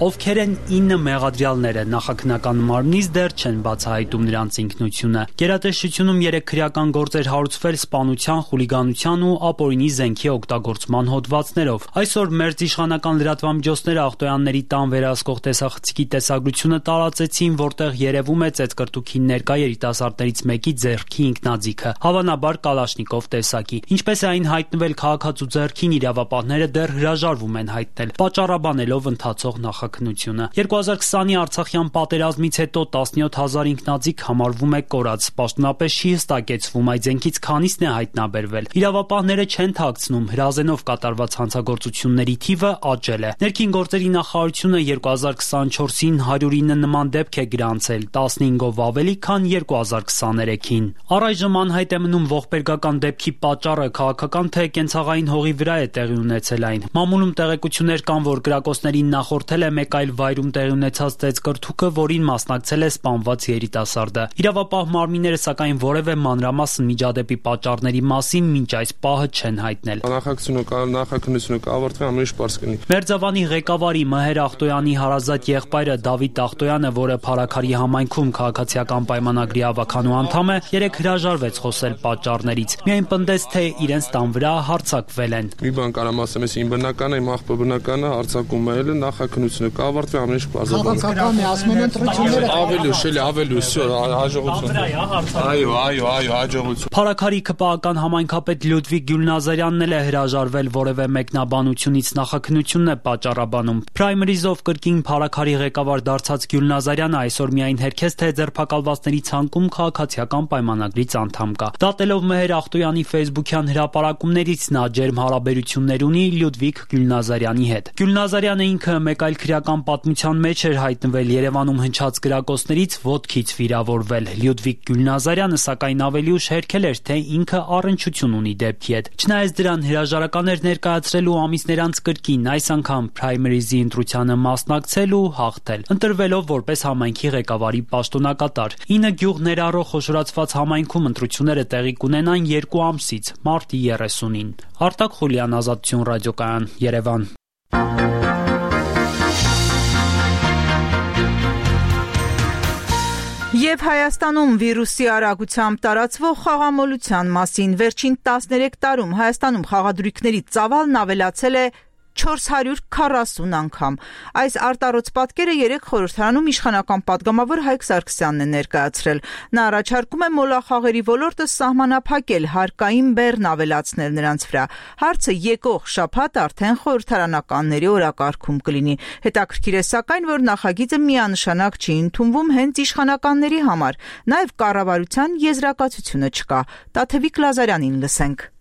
Ովքեր են 9 մեղադրյալները, նախաքննական մարմնից դեռ չեն բացահայտում նրանց ինքնությունը։ Գերատեսչությունում 3 քրեական գործեր հարուցվել սպանության, խուլիգանության ու ապօրինի զենքի օգտագործման հոդվածներով։ Այսօր մերձիշխանական լրատվամիջոցները Ախտոյանների տան վերահսկող տեսախցիկի տեսագրությունը տարածեցին, որտեղ երևում է ծեծկրտուքին ներկա երիտասարդներից մեկի ձեռքի ինքնաձիգը, հավանաբար Կալաշնիկով տեսակի։ Ինչպես է այն հայտնվել քաղաքացու ձեռքին, իրավապահները դեռ հրաժարվում են հայտնել, պատճառաբանելով ընթացող նախաքննությունը։ 2020-ի Արցախյան պատերազմից հետո 17,000 ինքնաձիգ համարվում է կորած։ Պաշտոնապես չի հստակեցվում այդ զենքից քանիսն է հայտնաբերվել։ Իրավապահները չեն թաքցնում, հրազենով կատարված հանցագործությունների թիվը աճել է։ Ներքին գործերի նախարարությունը 2024-ին 109 նման դեպք է գրանցել, 15-ով ավելի, քան 2023-ին։ Առայժմ անհայտ է մնում ողբերգական դեպքի պատճառը, քաղաքական թե կենցաղային հողի վրա է տեղի ունեցել այն։ Մամուլում տեղեկություններ կան, որ կրակոցներին նախորդել է մեկ այլ վայրում տեղի ունեցած ծեծկրտուքը, որին մասնակցել է սպանված երիտասարդը։ Իրավապահ մարմինները սակայն որևէ մանրամասն միջադեպի պատճառների մասին մինչ այս պահը չեն հայտնել։ Նախաքննությունը կավարտվի, ամեն ինչ պարզ կլինի։ Մերձավանի ղեկավարի Մեհեր Ախտոյանի հարազատ եղբայրը Դավիթ Ախտոյանը, որը Փարաքարի համայնքում քաղաքացիական պայմանագրի ավականու անդամ է, երեք հրաժարվեց խոսել պատճառներից։ Միայն պնդեց, թե իրենց տան վրա հարձակվել են։ Մի բան կարամ ասեմ, ես իմ բնականը, իմ աղբը բնականը հարձակում է, նախաքննությունը կավարտվի, ամեն ինչ պարզաբանվի։ Քաղաքական է, ասում են ընտրությունները ավելի, հաջողություն։ Այո, հաջողություն։ Փարաքարի ԿՊԱ-ական համայնքապետ Լյուդվիգ Գյուլնազարյանն էլ է հրաժարվել որևէ մեկնաբանությունից, նախաքննությունն է պատճառաբանում։ Պրայմերիզով կրկին Փարաքարի ղեկավար դարձած Գյուլնազարյանը այսօր միայն հերքեց, թե ձերբակալվածների ցանկում քաղաքացիական պայմանագրից անդամ կա։ Դատելով Մեհեր Ախտոյանի ֆեյսբուքյան հրապարակումներից նա ջերմ հարաբերություններ ունի Լյուդվիգ Գյուլնազարյանի հետ։ Գյուլնազարյանը ինքը մեկ այլ քրեական պատմության մեջ էր հայտնվել Երևանում հնչած կրակոցներից ոտքից վիրավորվել։ Լյուդվիգ Գյուլնազարյանը սակայն ավելի ուշ հերքել էր, թե ինքը առնչություն ունի դեպքի հետ։ Չնայած դրան հրաժարական էր ներկայացրել ու ամիսներ անց կրկին այս անգամ պրայմերիզի ընտրությանը մասնակցել ու հաղթել, ընտրվելով որպես համայնքի ղեկավարի պաշտոնակատար։ 9 գյուղ ներառող խոշորացված համայնքում ընտրությունները տեղի կունենան 2 ամսից, մարտի 30-ին։ Արտակ Խուլյան, Ազատություն ռադիոկայան, Երևան։ Եվ Հայաստանում վիրուսի արագությամբ տարածվող խաղամոլության մասին վերջին 13 տարում Հայաստանում խաղադրույքների ծավալն ավելացել է 440 անգամ։ Այս արտառոց պատկերը երեք խորհրդարանում իշխանական պատգամավոր Հայկ Սարգսյանն է ներկայացրել։ Նա առաջարկում է մոլախաղերի ոլորտը սահմանափակել, հարկային բեռն ավելացնել նրանց վրա։ Հարցը եկող շաբաթ արդեն խորհրդարանականների օրակարգում կլինի։ Հետաքրքիր է սակայն, որ նախագիծը միանշանակ չի ընդունվում հենց իշխանականների համար։ Նաև կառավարության եզրակացությունը չկա։ Տաթևիկ Լազարյանին լսենք։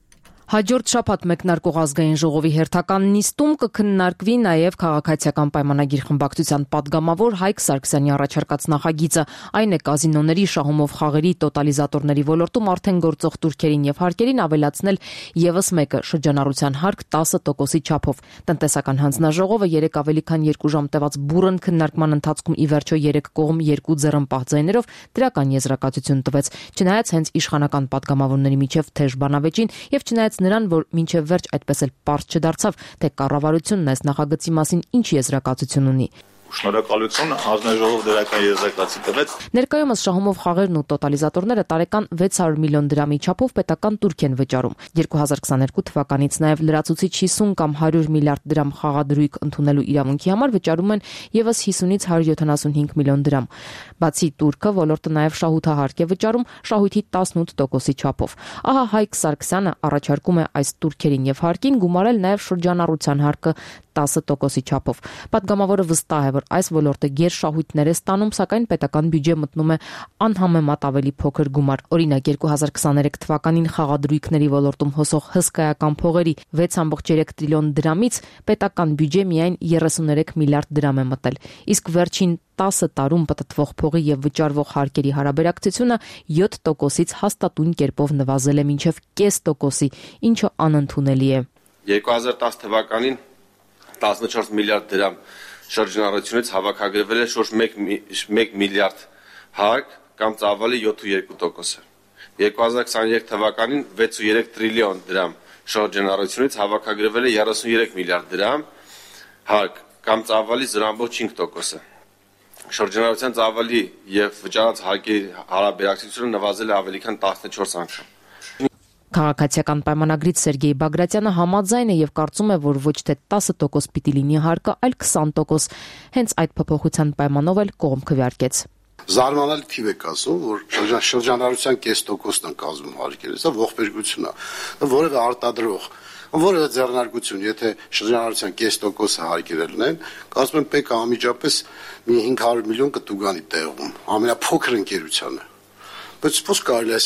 Հաջորդ շաբաթ մեկնարկող ազգային ժողովի հերթական նիստում կքննարկվի նաև քաղաքացիական պայմանագիր խմբակցության պատգամավոր Հայկ Սարգսյանի առաջարկած նախագիծը։ Այն է կազինոների, շահումով խաղերի, տոտալիզատորների ոլորտում արդեն գործող տուրքերին եւ հարկերին ավելացնել եւս մեկը շրջանառության հարկ 10%-ի չափով։ Տնտեսական հանձնաժողովը երեք ավելի քան 2 ժամ տևած բուռն քննարկման ընթացքում ի վերջո 3 կողմ 2 ձեռնպահ ձայներով դրական եզրակացություն տվեց։ Չնայած հենց իշխանական պատգամավորների միջև թեժ բանավեճին եւ չնայած նրան, որ մինչև վերջ այդպես էլ պարզ չդարձավ, թե կառավարությունն այս նախագծի մասին ինչ եզրակացություն ունի։ Շնորհակալություն, հանձնաժողով դրական եզրակացի տվեց։ Ներկայումս շահումով խաղերն ու տոտալիզատորները տարեկան 600 միլիոն դրամի չափով պետական տուրք են վճարում։ 2022 թվականից նաև լրացուցիչ 50 կամ 100 միլիարդ դրամ խաղադրույք ընդունելու իրավունքի համար վճարում են եւս 50-ից 175 միլիոն դրամ։ Բացի տուրքը, ոլորտը նաև շահութահարկ է վճարում շահույթի 18%-ի չափով։ Ահա Հայկ Սարգսյանը առաջարկում է այս տուրքերին եւ հարկին գումարել նաև շրջանառության հարկը 10%-ի չափով։ Պատգամավորը վստահ է, որ որ այս ոլորտը գերշահույթներ է ստանում, սակայն պետական բյուջե մտնում է անհամեմատ ավելի փոքր գումար։ Օրինակ 2023 թվականին խաղադրույքների ոլորտում հոսող հսկայական փողերի 6.3 տրիլիոն դրամից պետական բյուջե միայն 33 միլիարդ դրամ է մտել։ Իսկ վերջին 10 տարում պտտվող փողի եւ վճարվող հարկերի հարաբերակցությունը 7%-ից հաստատուն կերպով նվազել է մինչեւ 0.5%-ի, ինչը անընդունելի է։ 2010 թվականին 14 միլիարդ դրամ շրջանառությունից հավաքագրվել է շուրջ 1 միլիարդ հարկ կամ ծավալի 7.2%։ 2023 թվականին 6.3 տրիլիոն դրամ շրջանառությունից հավաքագրվել է 33 միլիարդ դրամ հարկ կամ ծավալի 0.5%։ Շրջանառության ծավալի եւ վճարած հարկերի հարաբերակցությունը նվազել է ավելի քան 14 անգամ։ Քաղաքացիական պայմանագրից Սերգեյ Բագրատյանը համաձայն է եւ կարծում է, որ ոչ թե 10% պիտի լինի հարկը, այլ 20%։ Հենց այդ փոփոխության պայմանով էլ կողմ քվեարկեց։ Զարմանալի թիվ է ասում, որ շրջանառության 0.5%-ն են կազմում հարկերը, սա ողբերգություն է։ Որևէ արտադրող, որևէ ձեռնարկություն, եթե շրջանառության 0.5%-ը հարկերը լինեն, կարծում եմ պետք է անմիջապես մի 500 միլիոն կտուգանի տեղում, ամենափոքր ընկերությանը։ Բայց ո՞ց կարելի է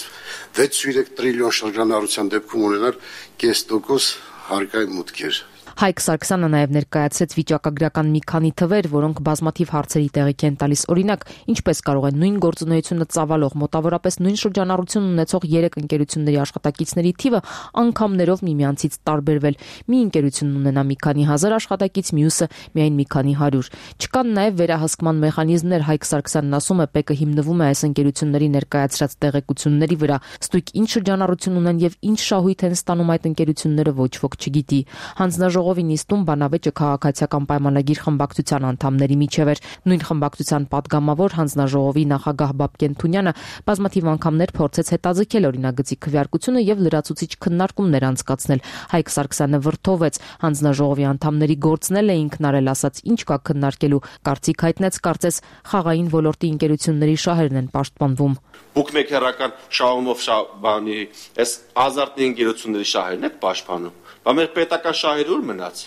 6.3 տրիլիոն շրջանառության դեպքում ունենալ 0.5% հարկային մուտքեր։ Հայկ Սարգսյանը նաև ներկայացրեց վիճակագրական մի քանի թվեր, որոնք բազմաթիվ հարցերի տեղիք են տալիս։ Օրինակ, ինչպես կարող է նույն գործունեությունը ծավալող մոտավորապես նույն շրջանառություն ունեցող 3 ընկերությունների աշխատակիցների թիվը անգամներով միմյանցից տարբերվել։ Մի ընկերությունն ունենա մի քանի հազար աշխատակից, մյուսը միայն մի քանի հարյուր։ Չկան նաև վերահսկման մեխանիզմներ։ Հայկ Սարգսյանն ասում է, ՊԵԿ-ը հիմնվում է այս ընկերությունների ներկայացրած տեղեկությունների վրա։ Ստույգ ինչ շրջանառություն ունեն եւ ինչ շահույթ են ստանում այդ ընկերությունները ոչ ոք չգիտի։ Հանձնաժողովի նիստում բանավեճը քաղաքացիական պայմանագիր խմբակցության անդամների միջև էր։ Նույն խմբակցության падգամավոր հանձնաժողովի նախագահ Բաբկեն Թունյանը բազմաթիվ անգամներ փորձեց հետաձգել օրինագծի քվեարկությունը եւ լրացուցիչ քննարկումներ անցկացնել։ Հայկ Սարգսյանը վրթովեց հանձնաժողովի անդամների գործնել է ինքն արել, ասաց ինչ կա քննարկելու, կարծիք հայտնեց, կարծես խաղային ոլորտի ընկերությունների շահերն են պաշտպանվում։ Բուկմեկերական շահումով բանի այս ազարտի ընկերությունների շահերն եք պաշտպանում։ Բա մեր պետական շահերը ուր մնաց։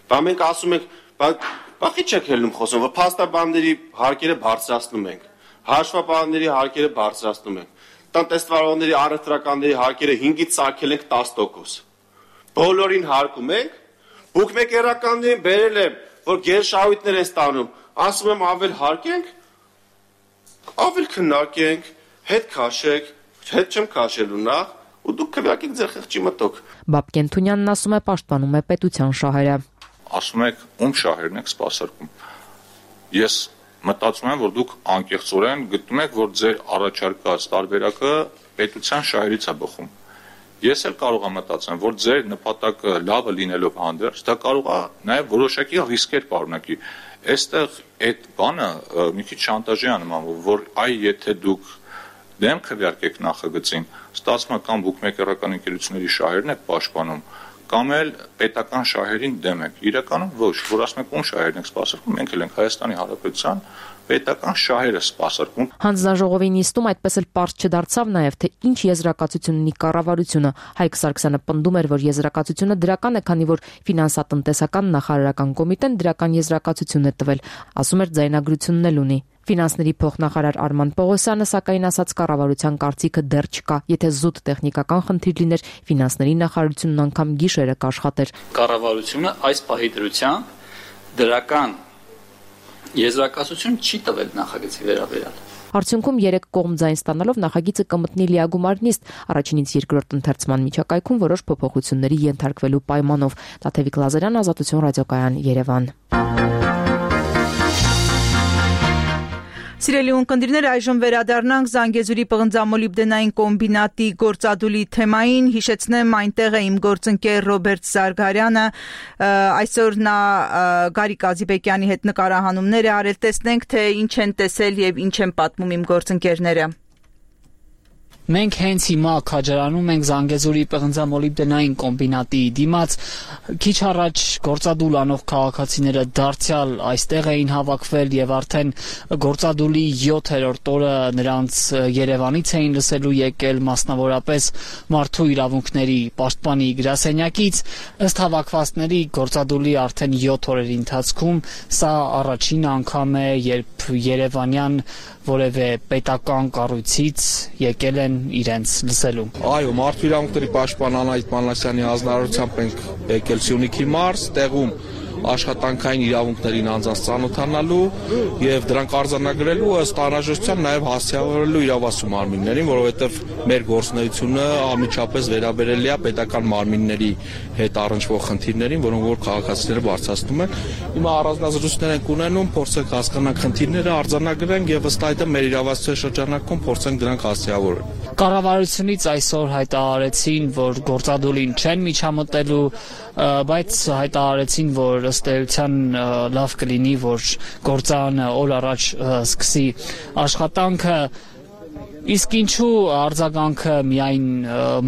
Բա մենք ասում ենք, բախի չեք ելնում խոսում, որ փաստաբանների հարկերը բարձրացնում ենք, հաշվապահների հարկերը բարձրացնում ենք, տնտեսվարողների առևտրականների հարկերը 5-ից սարքել ենք 10%։ Բոլորին հարկում ենք, բուկմեկերականներին բերել եմ, որ գերշահույթներ են ստանում, ասում եմ ավել հարկենք, ավել քննարկենք, հետ քաշեք, հետ չեմ քաշելու նախ, ու դուք քվեարկեք ձեր խղճի մտոք։ Բաբկեն Թունյանն ասում է, պաշտպանում է պետության շահերը։ Ասում եք, ում շահերն եք սպասարկում։ Ես մտածում եմ, որ դուք անկեղծորեն գտնում եք, որ ձեր առաջարկած տարբերակը պետության շահերից է բխում։ Ես էլ կարող եմ մտածեմ, որ ձեր նպատակը լավը լինելով հանդերձ, դա կարող է նաև որոշակի ռիսկեր պարունակի։ Այստեղ այդ բանը մի քիչ շանտաժի է նմանվում, որ այ եթե դուք դեմ քվեարկեք նախագծին, ստացվում է կամ բուկմեկերական ընկերությունների շահերն եք պաշտպանում, կամ էլ պետական շահերին դեմ եք։ Իրականում ոչ, որ ասում եք ում շահերն եք սպասարկում, մենք էլ ենք Հայաստանի Հանրապետության պետական շահերը սպասարկում։ Հանձնաժողովի նիստում այդպես էլ պարզ չդարձավ նաև, թե ինչ եզրակացություն ունի կառավարությունը։ Հայկ Սարգսյանը պնդում էր, որ եզրակացությունը դրական է, քանի որ ֆինանսատնտեսական նախարարական կոմիտեն դրական եզրակացություն է տվել, ասում էր ձայնագրությունն էլ ունի։ Ֆինանսների փոխնախարար Արման Պողոսյանը սակայն ասաց, կառավարության կարծիքը դեռ չկա։ Եթե զուտ տեխնիկական խնդիր լիներ, ֆինանսների նախարարությունն անգամ գիշերը կաշխատեր։ Կառավարությունը այս պահի դրությամբ դրական եզրակացություն չի տվել նախագծի վերաբերյալ։ Արդյունքում 3 կողմ ձայն ստանալով նախագիծը կմտնի լիագումար նիստ, առաջինից երկրորդ ընթերցման միջակայքում որոշ փոփոխությունների ենթարկվելու պայմանով։ Տաթևիկ Լազարյան, Ազատություն ռադիոկայան, Երևան։ Սիրելի ունկնդիրներ, այժմ վերադառնանք Զանգեզուրի պղնձամոլիբդենային կոմբինատի գործադուլի թեմային։ Հիշեցնեմ, այնտեղ է իմ գործընկեր Ռոբերտ Զարգարյանը, այսօր նա Գարիկ Ազիբեկյանի հետ նկարահանումներ է արել, տեսնենք, թե ինչ են տեսել եւ ինչ են պատմում իմ գործընկերները։ Մենք հենց հիմա քաջարանում ենք Զանգեզուրի պղնձամոլիբդենային կոմբինատի դիմաց, քիչ առաջ գործադուլ անող քաղաքացիները դարձյալ այստեղ էին հավաքվել եւ արդեն գործադուլի 7-րդ օրը նրանց Երևանից էին լսելու եկել, մասնավորապես մարդու իրավունքների պաշտպանի գրասենյակից, ըստ հավաքվածների գործադուլի արդեն 7 օրերի ընթացքում սա առաջին անգամ է, երբ երևանյան որևէ պետական կառույցից եկել են իրենց լսելու։ Այո, մարդու իրավունքների պաշտպան Անահիտ Մանասյանի հանձնարարությամբ ենք եկել Սյունիքի մարզ, տեղում աշխատանքային իրավունքներին անձանց ծանոթանալու եւ դրանք արձանագրելու ըստ անհրաժեշտության նաեւ հասցեավորելու իրավասու մարմիններին, որովհետեւ մեր գործունեությունը անմիջապես վերաբերելի է պետական մարմինների հետ առնչվող խնդիրներին, որոնք որ քաղաքացիները բարձրացնում են։ Հիմա առանձնազրույցներ ենք ունենում, փորձենք հասկանալ խնդիրները, արձանագրենք եւ ըստ այդմ մեր իրավասու շրջանակում փորձենք դրանք հասցեավորել։ Կառավարությունից այսօր հայտարարեցին, որ գործադուլին չեն միջամտելու, բայց հայտարարեցին, որ ըստ էության լավ կլինի, որ գործարանը օր առաջ սկսի աշխատանքը, իսկ ինչու արձագանքը միայն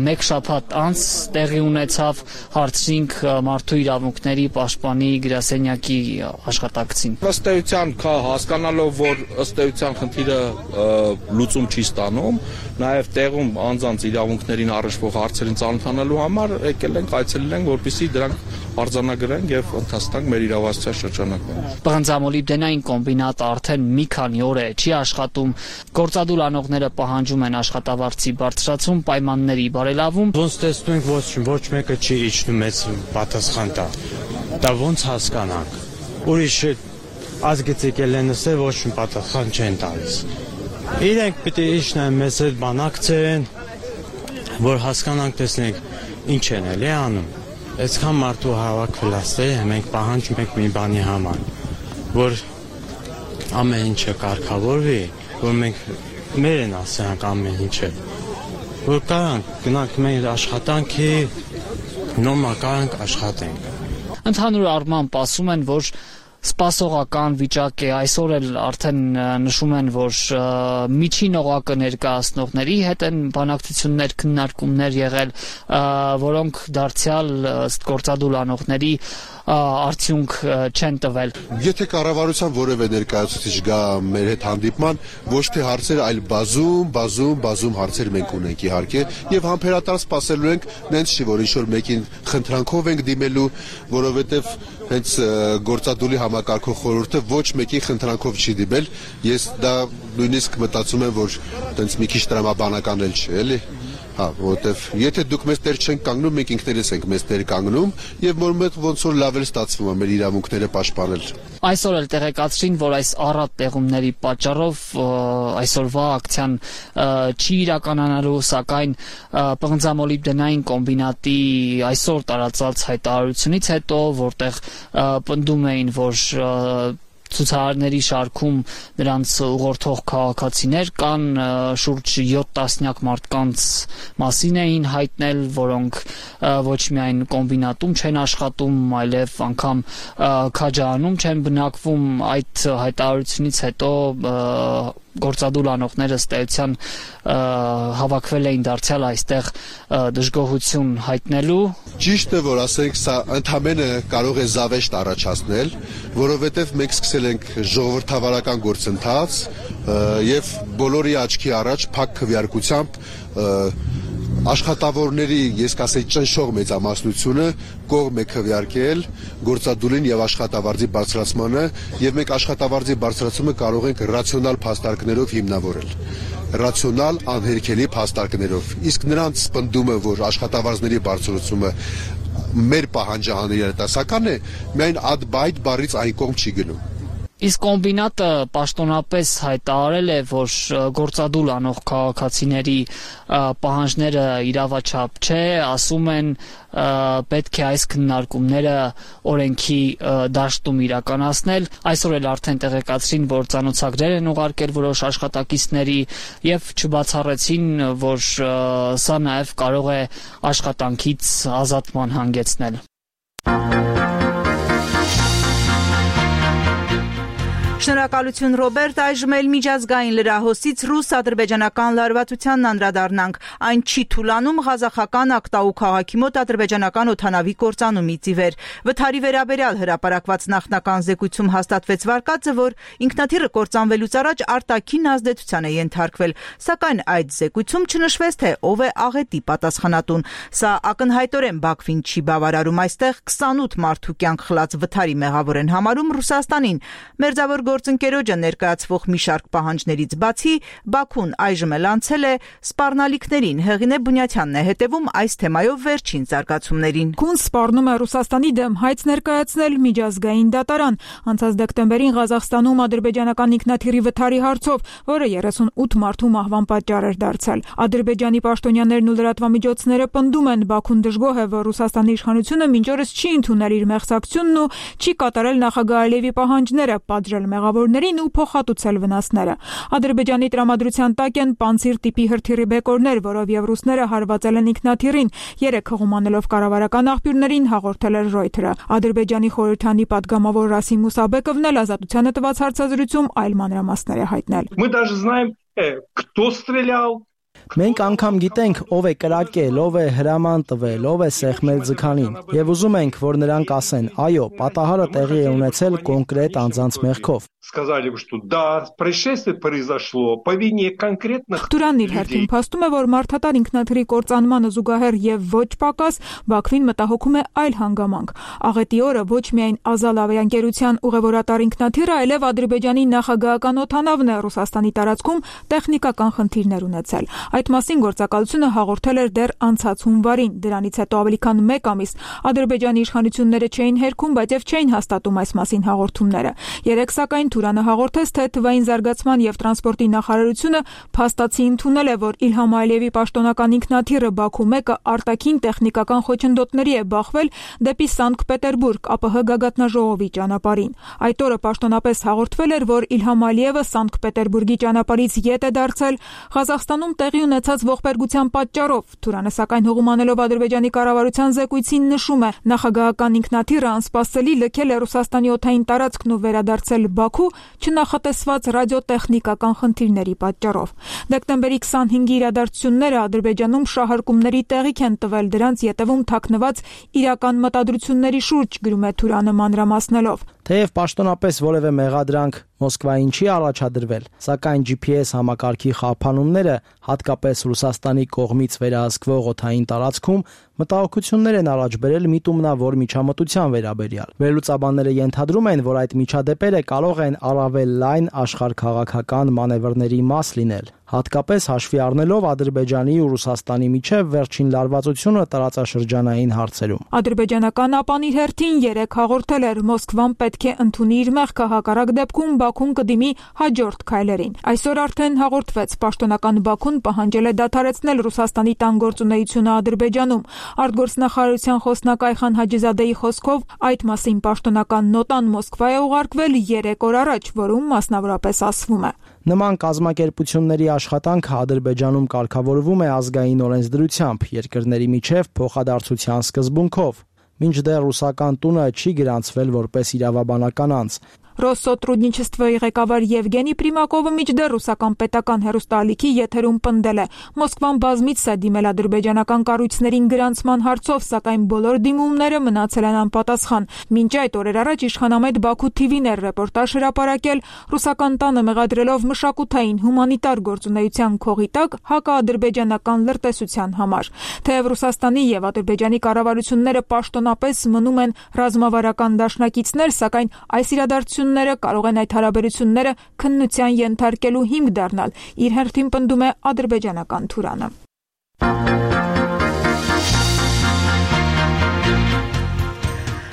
մեկ շաբաթ անց տեղի ունեցավ, հարցրինք մարդու իրավունքների պաշտպանի գրասենյակի աշխատակցին։ Ըստ էության հասկանալով, որ ըստ էության խնդիրը լուծում չի ստանում, նաև տեղում անձանց իրավունքներին առնչվող հարցերին ծանոթանալու համար եկել ենք, այցելել ենք, որպեսզի դրանք արձանագրենք եւ ընդհանրենք մեր իրավասության շրջանակում։ Պղնձամոլիբդենային կոմբինատը արդեն մի քանի օր է չի աշխատում, գործադուլ անողները պահանջում են աշխատավարձի բարձրացում, պայմանների բարելավում։ Ոնց տեսնում ենք, ոչ մեկը չի իջնում մեծ պատասխան տա։ Դա ոնց հասկանանք։ Ուրիշ ազգից եկել են ասել, ոչ մի պատասխան չեն տալիս։ Իրենք պիտի իջնեն մեզ հետ բանակցեն, որ հասկանանք, տեսնենք ինչ են էլի անում։ Այսքան մարդու հավաքվել ասել, մենք պահանջում ենք մի բանի համար, որ ամեն ինչը կարգավորվի, որ մենք մեր են ասենք ամեն ինչը, որ կարանք գնանք մեր աշխատանքի, նոմա կարանք աշխատենք։ Ընդհանուր առմամբ ասում են, որ սպասողական վիճակ է, այսօր էլ արդեն նշում են, որ միջին օղակը ներկայացնողների հետ են բանակցություններ, քննարկումներ եղել, որոնք դարձյալ ըստ գործադուլ անողների արդյունք չեն տվել։ Եթե կառավարության որևէ ներկայացուցիչ գա մեր հետ հանդիպման, ոչ թե հարցեր, այլ բազում հարցեր մենք ունենք իհարկե, եւ համբերատար սպասելու ենք, նենց չի, որ ինչ-որ մեկին խնդրանքով ենք դիմելու, որովհետեւ հենց գործադուլի համակարգող խորհուրդը ոչ մեկին խնդրանքով չի դիմել, ես դա նույնիսկ մտածում եմ, որ տենց մի քիչ տրամաբանական էլ չէ, էլի։ Հա, որովհետև եթե դուք մեզ տեր չենք կանգնում, մենք ինքներս ենք մեզ տեր կանգնում եւ որ մեկ ոնց որ լավ էլ ստացվում է մեր իրավունքները պաշտպանել։ Այսօր էլ տեղեկացրին, որ այս առատ տեղումների պատճառով այսօրվա ակցիան չի իրականանալու, սակայն պղնձամոլիբդենային կոմբինատի այսօր տարածած հայտարարությունից հետո, որտեղ պնդում էին, որ ցուցարարների շարքում նրանց ուղղորդող քաղաքացիներ կան, շուրջ 7 տասնյակ մարդկանց մասին էին հայտնել, որոնք ոչ միայն կոմբինատում չեն աշխատում, այլև անգամ քաջարանում չեն բնակվում, այդ հայտարարությունից հետո գործադուլ անողները ըստ էության հավաքվել էին դարձյալ այստեղ դժգոհություն հայտնելու։ Ճիշտ է, որ ասենք սա ընդհանրապես կարող է զավեշտ առաջացնել, որովհետև մենք սկսել ենք ժողովրդավարական գործընթաց եւ բոլորի աչքի առաջ փակ քվեարկությամբ աշխատավորների, ես կասեի, ճնշող մեծամասնությունը կողմ է քվեարկել գործադուլին եւ աշխատավարձի բարձրացմանը, եւ մենք աշխատավարձի բարձրացումը կարող ենք ռացիոնալ փաստարկներով հիմնավորել։ Ռացիոնալ անհերքելի փաստարկներով։ Իսկ նրանց պնդումը, որ աշխատավարձների բարձրացումը մեր պահանջահանելի երիտասական է, միայն այդ բառից այն կողմ չի գնում։ Իսկ կոմբինատը պաշտոնապես հայտարարել է, որ գործադուլ անող քաղաքացիների պահանջները իրավաչափ չէ, ասում են պետք է այս քննարկումները օրենքի դաշտում իրականացնել։ Այսօր էլ արդեն տեղեկացրին, որ ծանոթագրեր են ուղարկել որոշ աշխատակիցների եւ չբացառեցին, որ սա նաեւ կարող է աշխատանքից ազատման հանգեցնել։ Շնորհակալություն Ռոբերտ, այժմ էլ միջազգային լրահոսից ռուս-ադրբեջանական լարվածությանն անդրադառնանք։ Այն չի թուլանում ղազախական Ակտաու քաղաքի մոտ ադրբեջանական օդանավի կործանումից ի վեր։ Վթարի վերաբերյալ հրապարակված նախնական զեկույցում հաստատվեց վարկածը, որ ինքնաթիռը կործանվելուց առաջ արտաքին ազդեցության է ենթարկվել, սակայն այդ զեկույցում չնշվեց, թե ով է աղետի պատասխանատուն։ Սա ակնհայտորեն Բաքվին չի բավարարում, այստեղ 28 մարդու կյանք խլած վթարի մեղավոր են համարում Ռուսաստանին։ Մերձավոր գործընկերոջը ներկայացվող մի շարք պահանջներից բացի Բաքուն այժմ էլ անցել է սպառնալիքներին։ Հեղինե Բունյաթյանն է հետևում այս թեմայով վերջին զարգացումներին։ Քուն սպառնում է Ռուսաստանի դեմ հայց ներկայացնել միջազգային դատարան։ Անցած դեկտեմբերին Ղազախստանում ադրբեջանական ինքնաթիռի վթարի հարցով, որը 38 մարդու մահվան պատճառ էր դարձել։ Ադրբեջանի պաշտոնյաներն ու լրատվամիջոցները պնդում են, Բաքուն դժգոհ է, որ Ռուսաստանի իշխանությունը մինչ օրս չի ընդունել իր մեղսակցությունն ու չի կատարել նախագահ Ալիևի պահանջները, պատժել մեղավորներին ու փոխհատուցել վնասները։ Ադրբեջանի տրամադրության տակ են Պանցիր տիպի հրթիռի բեկորներ, որով եւ ռուսները հարվածել են ինքնաթիռին։ 3 հղում անելով կառավարական աղբյուրներին հաղորդել էր Reuters-ը։ Ադրբեջանի խորհրդանի падգամավոր Ռասիմ Մուսաբեկովն էլ Ազատությանը տված հարցազրույցում այլ մանրամասներ է հայտնել։ Мы даже знаем, кто стрелял. Մենք անգամ գիտենք ով է կրակել, ով է հրաման տվել, ով է սեղմել ձգանին, եւ ուզում ենք, որ նրանք ասեն, այո, պատահարը տեղի է ունեցել կոնկրետ անձանց մեղքով։ Сказали бы, что да, происшествие произошло по вине конкретных Туրանն իր հերթին փաստում է, որ մարդատար ինքնաթիռի կործանմանը զուգահեռ եւ ոչ պակաս Բաքվին մտահոգում է այլ հանգամանք։ Աղետի օրը ոչ միայն Ազալ ավիաընկերության ուղևորատար ինքնաթիռը, այլև Ադրբեջանի նախագահական օդանավն է Ռուսաստանի տարածքում տեխնիկական խնդիրներ ունեցել։ Այդ մասին գործակալությունը հաղորդել էր դեռ անցած հունվարին։ Դրանից հետո ավելի քան 1 ամիս Ադրբեջանի իշխանությունները չէին հերքում, բայց եւ չէին հաստատում այս մասին հաղորդումները։ Երեք սակայն Թուրանը հաղորդեց, թե թվային զարգացման եւ տրանսպորտի նախարարությունը փաստացի ընդունել է, որ Իլհամ Ալիևի պաշտոնական ինքնաթիռը Բաքու 1-ը արտաքին տեխնիկական խոչընդոտների է բախվել դեպի Սանկտ Պետերբուրգ ԱՊՀ գագաթնաժողովի ճանապարհին։ Այդ օրը պաշտոնապես հաղորդվել էր, որ Իլհամ Ալիևը Սանկտ Պետերբուրգի ճանապարհից ետ է դարձել Ղազախստանում տեղի ունեցած ողբերգության պատճառով։ Թուրանը սակայն հողում անելով Ադրբեջանի կառավարության զեկույցին նշում է, նախագահական ինքնաթիռը անսպասելի լքել է Ռուսաստանի օդային տարածքն ու վերադարձել Բաքու չնախատեսված ռադիոտեխնիկական խնդիրների պատճառով։ Դեկտեմբերի 25-ի իրադարձությունները Ադրբեջանում շահարկումների տեղիք են տվել, դրանց ետևում թաքնված իրական մտադրությունների շուրջ, գրում է Թուրանը մանրամասնելով։ Թեև պաշտոնապես որևէ մեղադրանք Մոսկվային չի առաջադրվել, սակայն GPS համակարգի խափանումները, հատկապես Ռուսաստանի կողմից վերահսկվող օդային տարածքում, մտահոգություններ են առաջ բերել միտումնավոր միջամտության վերաբերյալ։ Վերլուծաբանները ենթադրում են, որ այդ միջադեպերը կարող են առավել լայն աշխարհքաղաքական մանևրների մաս լինել, հատկապես հաշվի առնելով Ադրբեջանի ու Ռուսաստանի միջև վերջին լարվածությունը տարածաշրջանային հարցերում։ Ադրբեջանական ԱՊԱ-ն իր հերթին 3 հաղորդել էր, Մոսկվան պետք է ընդունի իր մեղքը, հակառակ դեպքում Բաքուն կդիմի հաջորդ քայլերին։ Այսօր արդեն հաղորդվեց, պաշտոնական Բաքուն պահանջել է դադարեցնել Ռուսաստանի տանգործունեությունը Ադրբեջանում։ Արտգործնախարարության խոսնակ Այխան Հաջիզադեի խոսքով այդ մասին պաշտոնական նոտան Մոսկվա է ուղարկվել 3 օր առաջ, որում մասնավորապես ասվում է. Նման կազմակերպությունների աշխատանքը Ադրբեջանում կարգավորվում է ազգային օրենսդրությամբ, երկրների միջև փոխադարձության սկզբունքով, մինչդեռ ռուսական տունը չի գրանցվել որպես իրավաբանական անձ։ Ռոսսոտրուդնիչեստվոյի ղեկավար Եվգենի Պրիմակովը մինչդեռ ռուսական պետական հեռուստաալիքի եթերում պնդել է. Մոսկվան բազմիցս է դիմել ադրբեջանական կառույցներին գրանցման հարցով, սակայն բոլոր դիմումները մնացել են անպատասխան։ Մինչ այդ օրեր առաջ իշխանամետ Բաքու TV-ն էր ռեպորտաժ հրապարակել ռուսական տանը մեղադրելով մշակութային հումանիտար գործունեության քողի տակ հակաադրբեջանական լրտեսության համար։ Թեև Ռուսաստանի եւ Ադրբեջանի կառավարությունները պաշտոնապես մնում են ռազմավարական դաշնակիցներ, սակայն այս իրադարձությունները կարող են այդ հարաբերությունները քննության ենթարկելու հիմք դառնալ, իր հերթին պնդում է ադրբեջանական Թուրանը։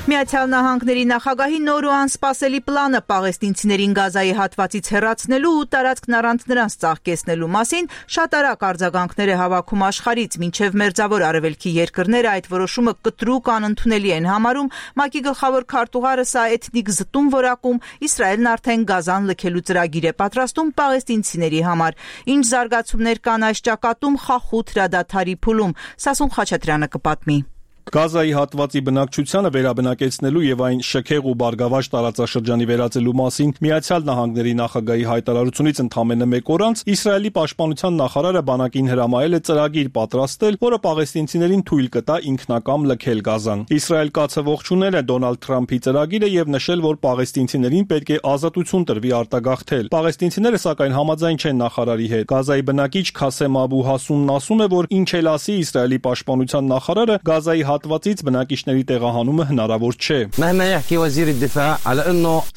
Միացյալ Նահանգների նախագահի նոր ու անսպասելի պլանը պաղեստինցիներին Գազայի հատվածից հեռացնելու ու տարածքն առանց նրանց ծաղկեցնելու մասին շատ արագ արձագանքներ է հավաքում աշխարհից, մինչև Մերձավոր Արևելքի երկրները այդ որոշումը կտրուկ անընդունելի են համարում, ՄԱԿ-ի գլխավոր քարտուղարը սա էթնիկ զտում որակում, Իսրայելն արդեն Գազան լքելու ծրագիր է պատրաստում պաղեստինցիների համար։ Ինչ զարգացումներ կան այս ճակատում խախուտ հրադադարի փուլում, Սասուն Խաչատրյանը կպատմի։ Գազայի հատվածի բնակչությանը վերաբնակեցնելու եւ այն շքեղ ու բարգավաճ տարածաշրջանի վերածելու մասին Միացյալ Նահանգների նախագահի հայտարարությունից ընդամենը 1 օր անց Իսրայելի պաշտպանության նախարարը բանակին հրամայել է ծրագիր պատրաստել, որը պաղեստինցիներին թույլ կտա ինքնակամ լքել Գազան։ Իսրայել կացը ողջունել է Դոնալդ Թրամփի ծրագիրը եւ նշել, որ պաղեստինցիներին պետք է ազատություն տրվի արտագաղթել։ Պաղեստինցիները սակայն համաձայն չեն նախարարի հետ։ Գազայի բնակիչ Քասեմ Աբու Հասունն ասում է, որ ինչ էլ ասի Իսրայելի պաշտպանության նախարարը, Գազայի հատվածից բնակիչների տեղահանումը հնարավոր չէ։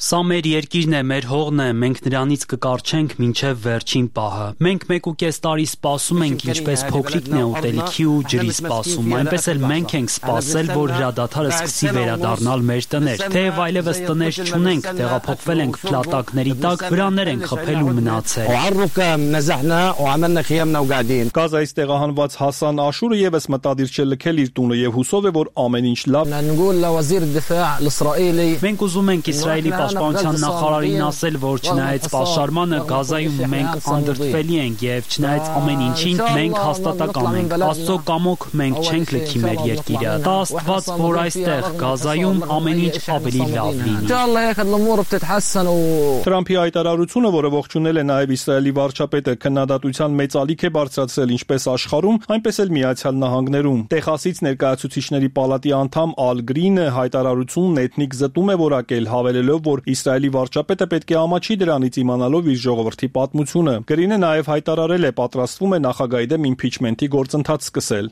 Սա մեր երկիրն է, մեր հողն է, մենք նրանից կկարչենք մինչև վերջին պահը։ Մենք 1.5 տարի սպասում ենք, ինչպես փոքրիկն է ուտելիքի ու ջրի սպասում, այնպես էլ մենք ենք սպասել, որ հրադադարը սկսի վերադառնալ մեր տներ։ Թեև այլևս տներ չունենք, տեղափոխվել ենք փլատակների տակ, վրաններ ենք խփել ու մնացել։ Գազայից տեղահանված Հասան Աշուրը եւս մտադիր չէ լքել իր տունը եւ հուսով է, որ ամեն ինչ լավ։ Մենք ուզում ենք Իսրայելի պաշտպանության նախարարին ասել, որ չնայած պաշարմանը Գազայում մենք անդրդվելի ենք եւ չնայած ամեն ինչին մենք հաստատակամ ենք։ Աստծո կամոք մենք չենք լքի մեր երկիրը։ Դա Աստված, որ այստեղ Գազայում ամեն ինչ ավելի լավ լինի։ Թրամփի հայտարարությունը, որը ողջունել է նաեւ Իսրայելի վարչապետը, քննադատության մեծ ալիք է բարձրացրել ինչպես աշխարհում, այնպես էլ Միացյալ Նահանգներում։ Տեխասից ներկայացուցիչների պալատի անդամ Ալ Գրինը հայտարարությունն էթնիկ զտում է որակել, հավելելով, որ Իսրայելի վարչապետը պետք է ամաչի դրանից իմանալով իր ժողովրդի պատմությունը։ Գրինը նաեւ հայտարարել է պատրաստվում է նախագահի դեմ իմփիչմենթի գործընթաց սկսել։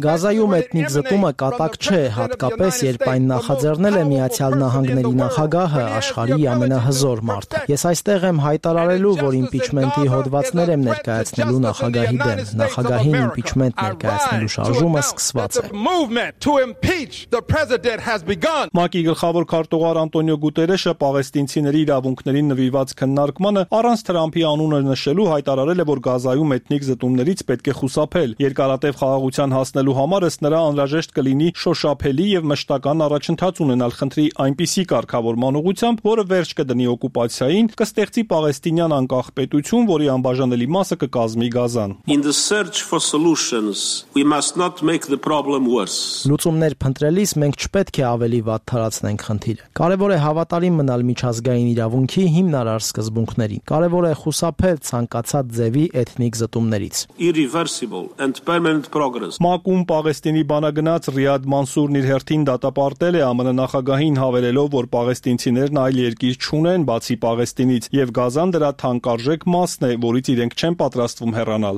Գազայում էթնիկ զտումը կատակ չէ, հատկապես երբ այն նախաձեռնել է Միացյալ Նահանգների նախագահը, աշխարհի ամենահզոր մարդը։ Ես այստեղ եմ հայտարարելու, որ իմպիչմենթի հոդվածներ եմ ներկայացնելու նախագահի դեմ։ Նախագահին իմպիչմենթ ներկայացնելու շարժումը սկսված է։ ՄԱԿ-ի գլխավոր քարտուղար Անտոնիո Գուտերեշը պաղեստինցիների իրավունքներին նվիրված քննարկմանը առանց Թրամփի անունը նշելու հայտարարել է, որ Գազայում էթնիկ զտումներից պետք է խուսափել։ Երկարատև խաղաղության հասնելու համար ըստ նրա անհրաժեշտ կլինի շոշափելի եւ մշտական առաջընթաց ունենալ խնդրի այնպիսի կարգավորման ուղղությամբ, որը վերջ կդնի օկուպացիային, կստեղծի պաղեստինյան անկախ պետություն, որի անբաժանելի մասը կկազմի Գազան։ Լուծումներ փնտրելիս մենք չպետք է ավելի վատ թարացնենք խնդիրը։ Կարևոր է հավատարիմ մնալ միջազգային իրավունքի հիմնարար սկզբունքներին։ Կարևոր է խուսափել ցանկացած ձևի էթնիկ զտումներից։ ՄԱԿ-ում Պաղեստինի բանագնաց Ռիադ Մանսուրն իր հերթին դատապարտել է ԱՄՆ նախագահին, հավելելով, որ պաղեստինցիներն այլ երկիր չունեն բացի Պաղեստինից, եւ Գազան դրա թանկարժեք մասն է, որից իրենք չեն պատրաստվում հեռանալ։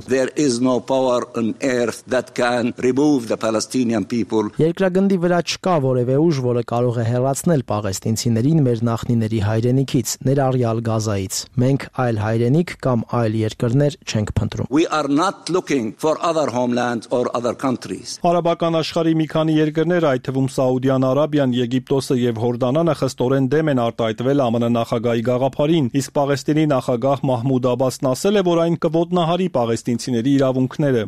Երկրագնդի վրա չկա որևէ ուժ, որը կարող է հեռացնել պաղեստինցիներին մեր նախնիների հայրենիքից, ներառյալ Գազայից։ Մենք այլ հայրենիք կամ այլ երկրներ չենք փնտրում։ Արաբական աշխարհի մի քանի երկրներ, այդ թվում Սաուդյան Արաբիան, Եգիպտոսը եւ Հորդանանը խստորեն դեմ են արտահայտվել ԱՄՆ նախագահի գաղափարին, իսկ Պաղեստինի նախագահ Մահմուդ Աբասն ասել է, որ այն կոտնահարի պաղեստինցիների իրավունքները։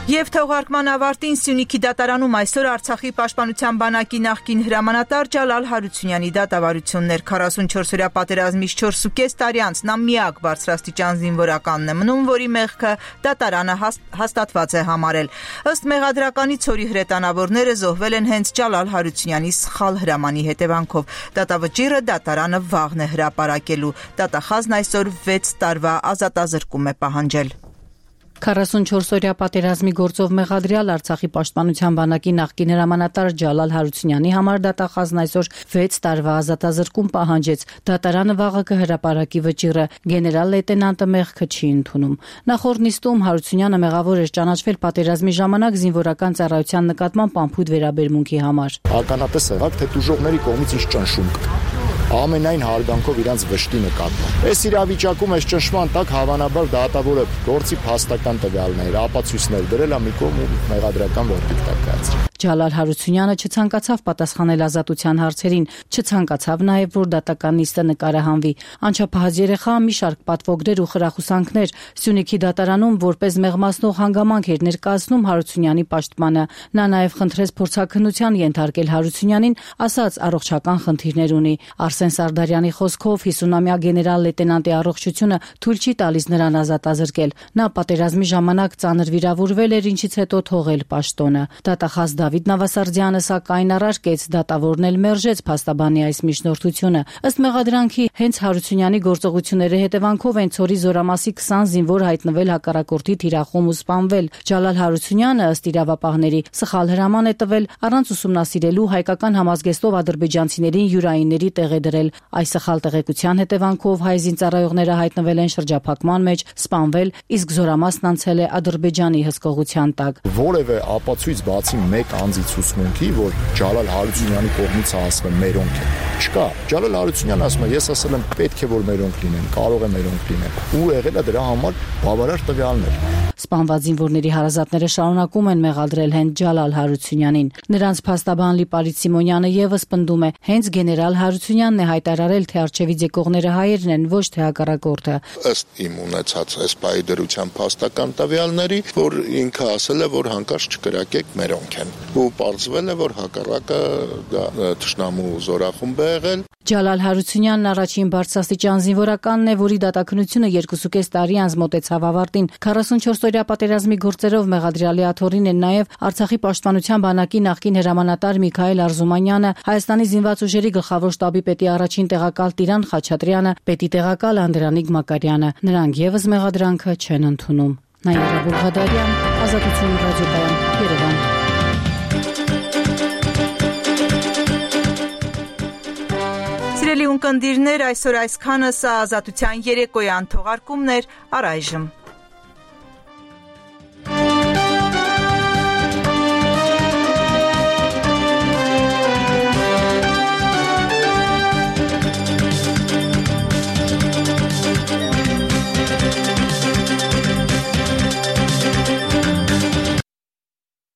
Եվ թողարկման ավարտին Սյունիքի դատարանում այսօր Արցախի պաշտպանության բանակի նախկին հրամանատար Ջալալ Հարությունյանի դատավարություններ 44-օրյա պատերազմից 4.5 տարի անց նա միակ բարձրաստիճան զինվորականն է մնում, որի մեղքը դատարանը հաստատված է համարել։ Ըստ մեղադրականի ցորի հրետանավորները զոհվել են հենց Ջալալ Հարությունյանի սխալ հրամանի հետևանքով։ Դատավճիռը դատարանը վաղն է հրապարակելու։ Դատախազն այսօր 6 տարվա ազատազրկում է պահանջել։ 44-օրյա պատերազմի գործով մեղադրյալ Արցախի պաշտպանության բանակի նախկին հրամանատար Ջալալ Հարությունյանի համար դատախազն այսօր 6 տարվա ազատազրկում պահանջեց։ Դատարանը վաղը կհրապարակի վճիռը։ Գեներալ լեյտենանտը մեղքը չի ընդունում։ Նախորդ նիստում Հարությունյանը մեղավոր էր ճանաչվել պատերազմի ժամանակ զինվորական ծառայության նկատմամբ անփույթ վերաբերմունքի համար։ Ականատես եղաք, թե տուժողների կողմից ինչ ճնշում կա։ Ամենայն հարգանքով իրանց վշտի նկատմամբ։ Այս իրավիճակում այս ճնշման տակ հավանաբար դատավորը գործի փաստական տվյալներ, ապացույցներ դրել է մի կողմ ու մեղադրական վերդիկտ կայացրել։ Ջալալ Հարությունյանը չցանկացավ պատասխանել ազատության հարցերին, չցանկացավ նաև, որ դատական նիստը նկարահանվի։ Անչափահաս երեխա մի շարք պատվոգներ ու խրախուսանքներ Սյունիքի դատարանում որպես մեղմացնող հանգամանք էր ներկայացնում Հարությունյանի պաշտպանը։ Նա նաև խնդրեց փորձաքննության ենթարկել Հարությունյանին, ասաց առողջական խնդիրներ ունի։ Արսեն Սարդարյանի խոսքով 50-ամյա գեներալ լեյտենանտի առողջությունը թույլ չի տալիս նրան ազատազրկել։ Նա պատերազմի ժամանակ ծանր վիրավորվել էր, ինչից հետո թողել պաշտոնը։ Դատախազ Դավիթ Նավասարդյանը սակայն առարկեց դատավորն էլ մերժեց փաստաբանի այս միջնորդությունը։ Ըստ մեղադրանքի հենց Հարությունյանի գործողությունների հետևանքով են Ցորի Զորամասի 20 զինվոր հայտնվել հակառակորդի թիրախում ու սպանվել։ Ջալալ Հարությունյանը ըստ իրավապահների սխալ հրաման է տվել առանց ուսումնասիրելու հայկական համազգեստով ադրբեջանցիներին յուրայինների տեղ է դրել։ Այս սխալ տեղեկության հետևանքով հայ զինծառայողները հայտնվել են շրջափակման մեջ, սպանվել, իսկ Զորամասն անցել է Ադրբեջանի հսկողության տակ։ Որևէ ապացույց բացի մեկ անձի ցուցմունքի, որ Ջալալ Հարությունյանի կողմից ասում է մերոնք է, չկա։ Ջալալ Հարությունյանը ասում է, ես ասել եմ պետք է որ մերոնք լինեն, կարող է մերոնք լինեն, ու եղել է դրա համար բավարար տվյալներ։ Սպանված զինվորների հարազատները շարունակում են մեղադրել հենց Ջալալ Հարությունյանին։ Նրանց փաստաբան Լիպարիտ Սիմոնյանը եւս պնդում է, հենց գեներալ Հարությունյանն է հայտարարել, թե արչեվից եկողները հայերն են, ոչ թե հակառակորդը։ Ըստ իմ ունեցած այս պահի դրության փաստական տվյալների, որ ինքը ասել է, որ հանկարծ չկրակեք մերոնք են։ Ու պարզվել է, որ հակառակը դա թշնամու զորախումբ է եղել։ Ջալալ Հարությունյանն առաջին բարձրաստիճան զինվորականն է, որի դատաքննությունը 2.5 տարի անց մոտեցավ ավարտին։ 44-օրյա պատերազմի գործերով մեղադրյալի աթոռին են նաև Արցախի պաշտպանության բանակի նախկին հրամանատար Միքայել Արզումանյանը, Հայաստանի զինված ուժերի գլխավոր շտաբի պետի առաջին տեղակալ Տիրան Խաչատրյանը, պետի տեղակալ Անդրանիկ Մակարյանը։ Նրանք եւս մեղադրանքը չեն ընդունում։ Նաիրա Բուլղադարյան, Ազատություն ռադիոկայան, Երևան։ Սիրելի ունկնդիրներ, այսօր այսքանը, սա Ազատության երեկոյան թողարկումն էր, առայժմ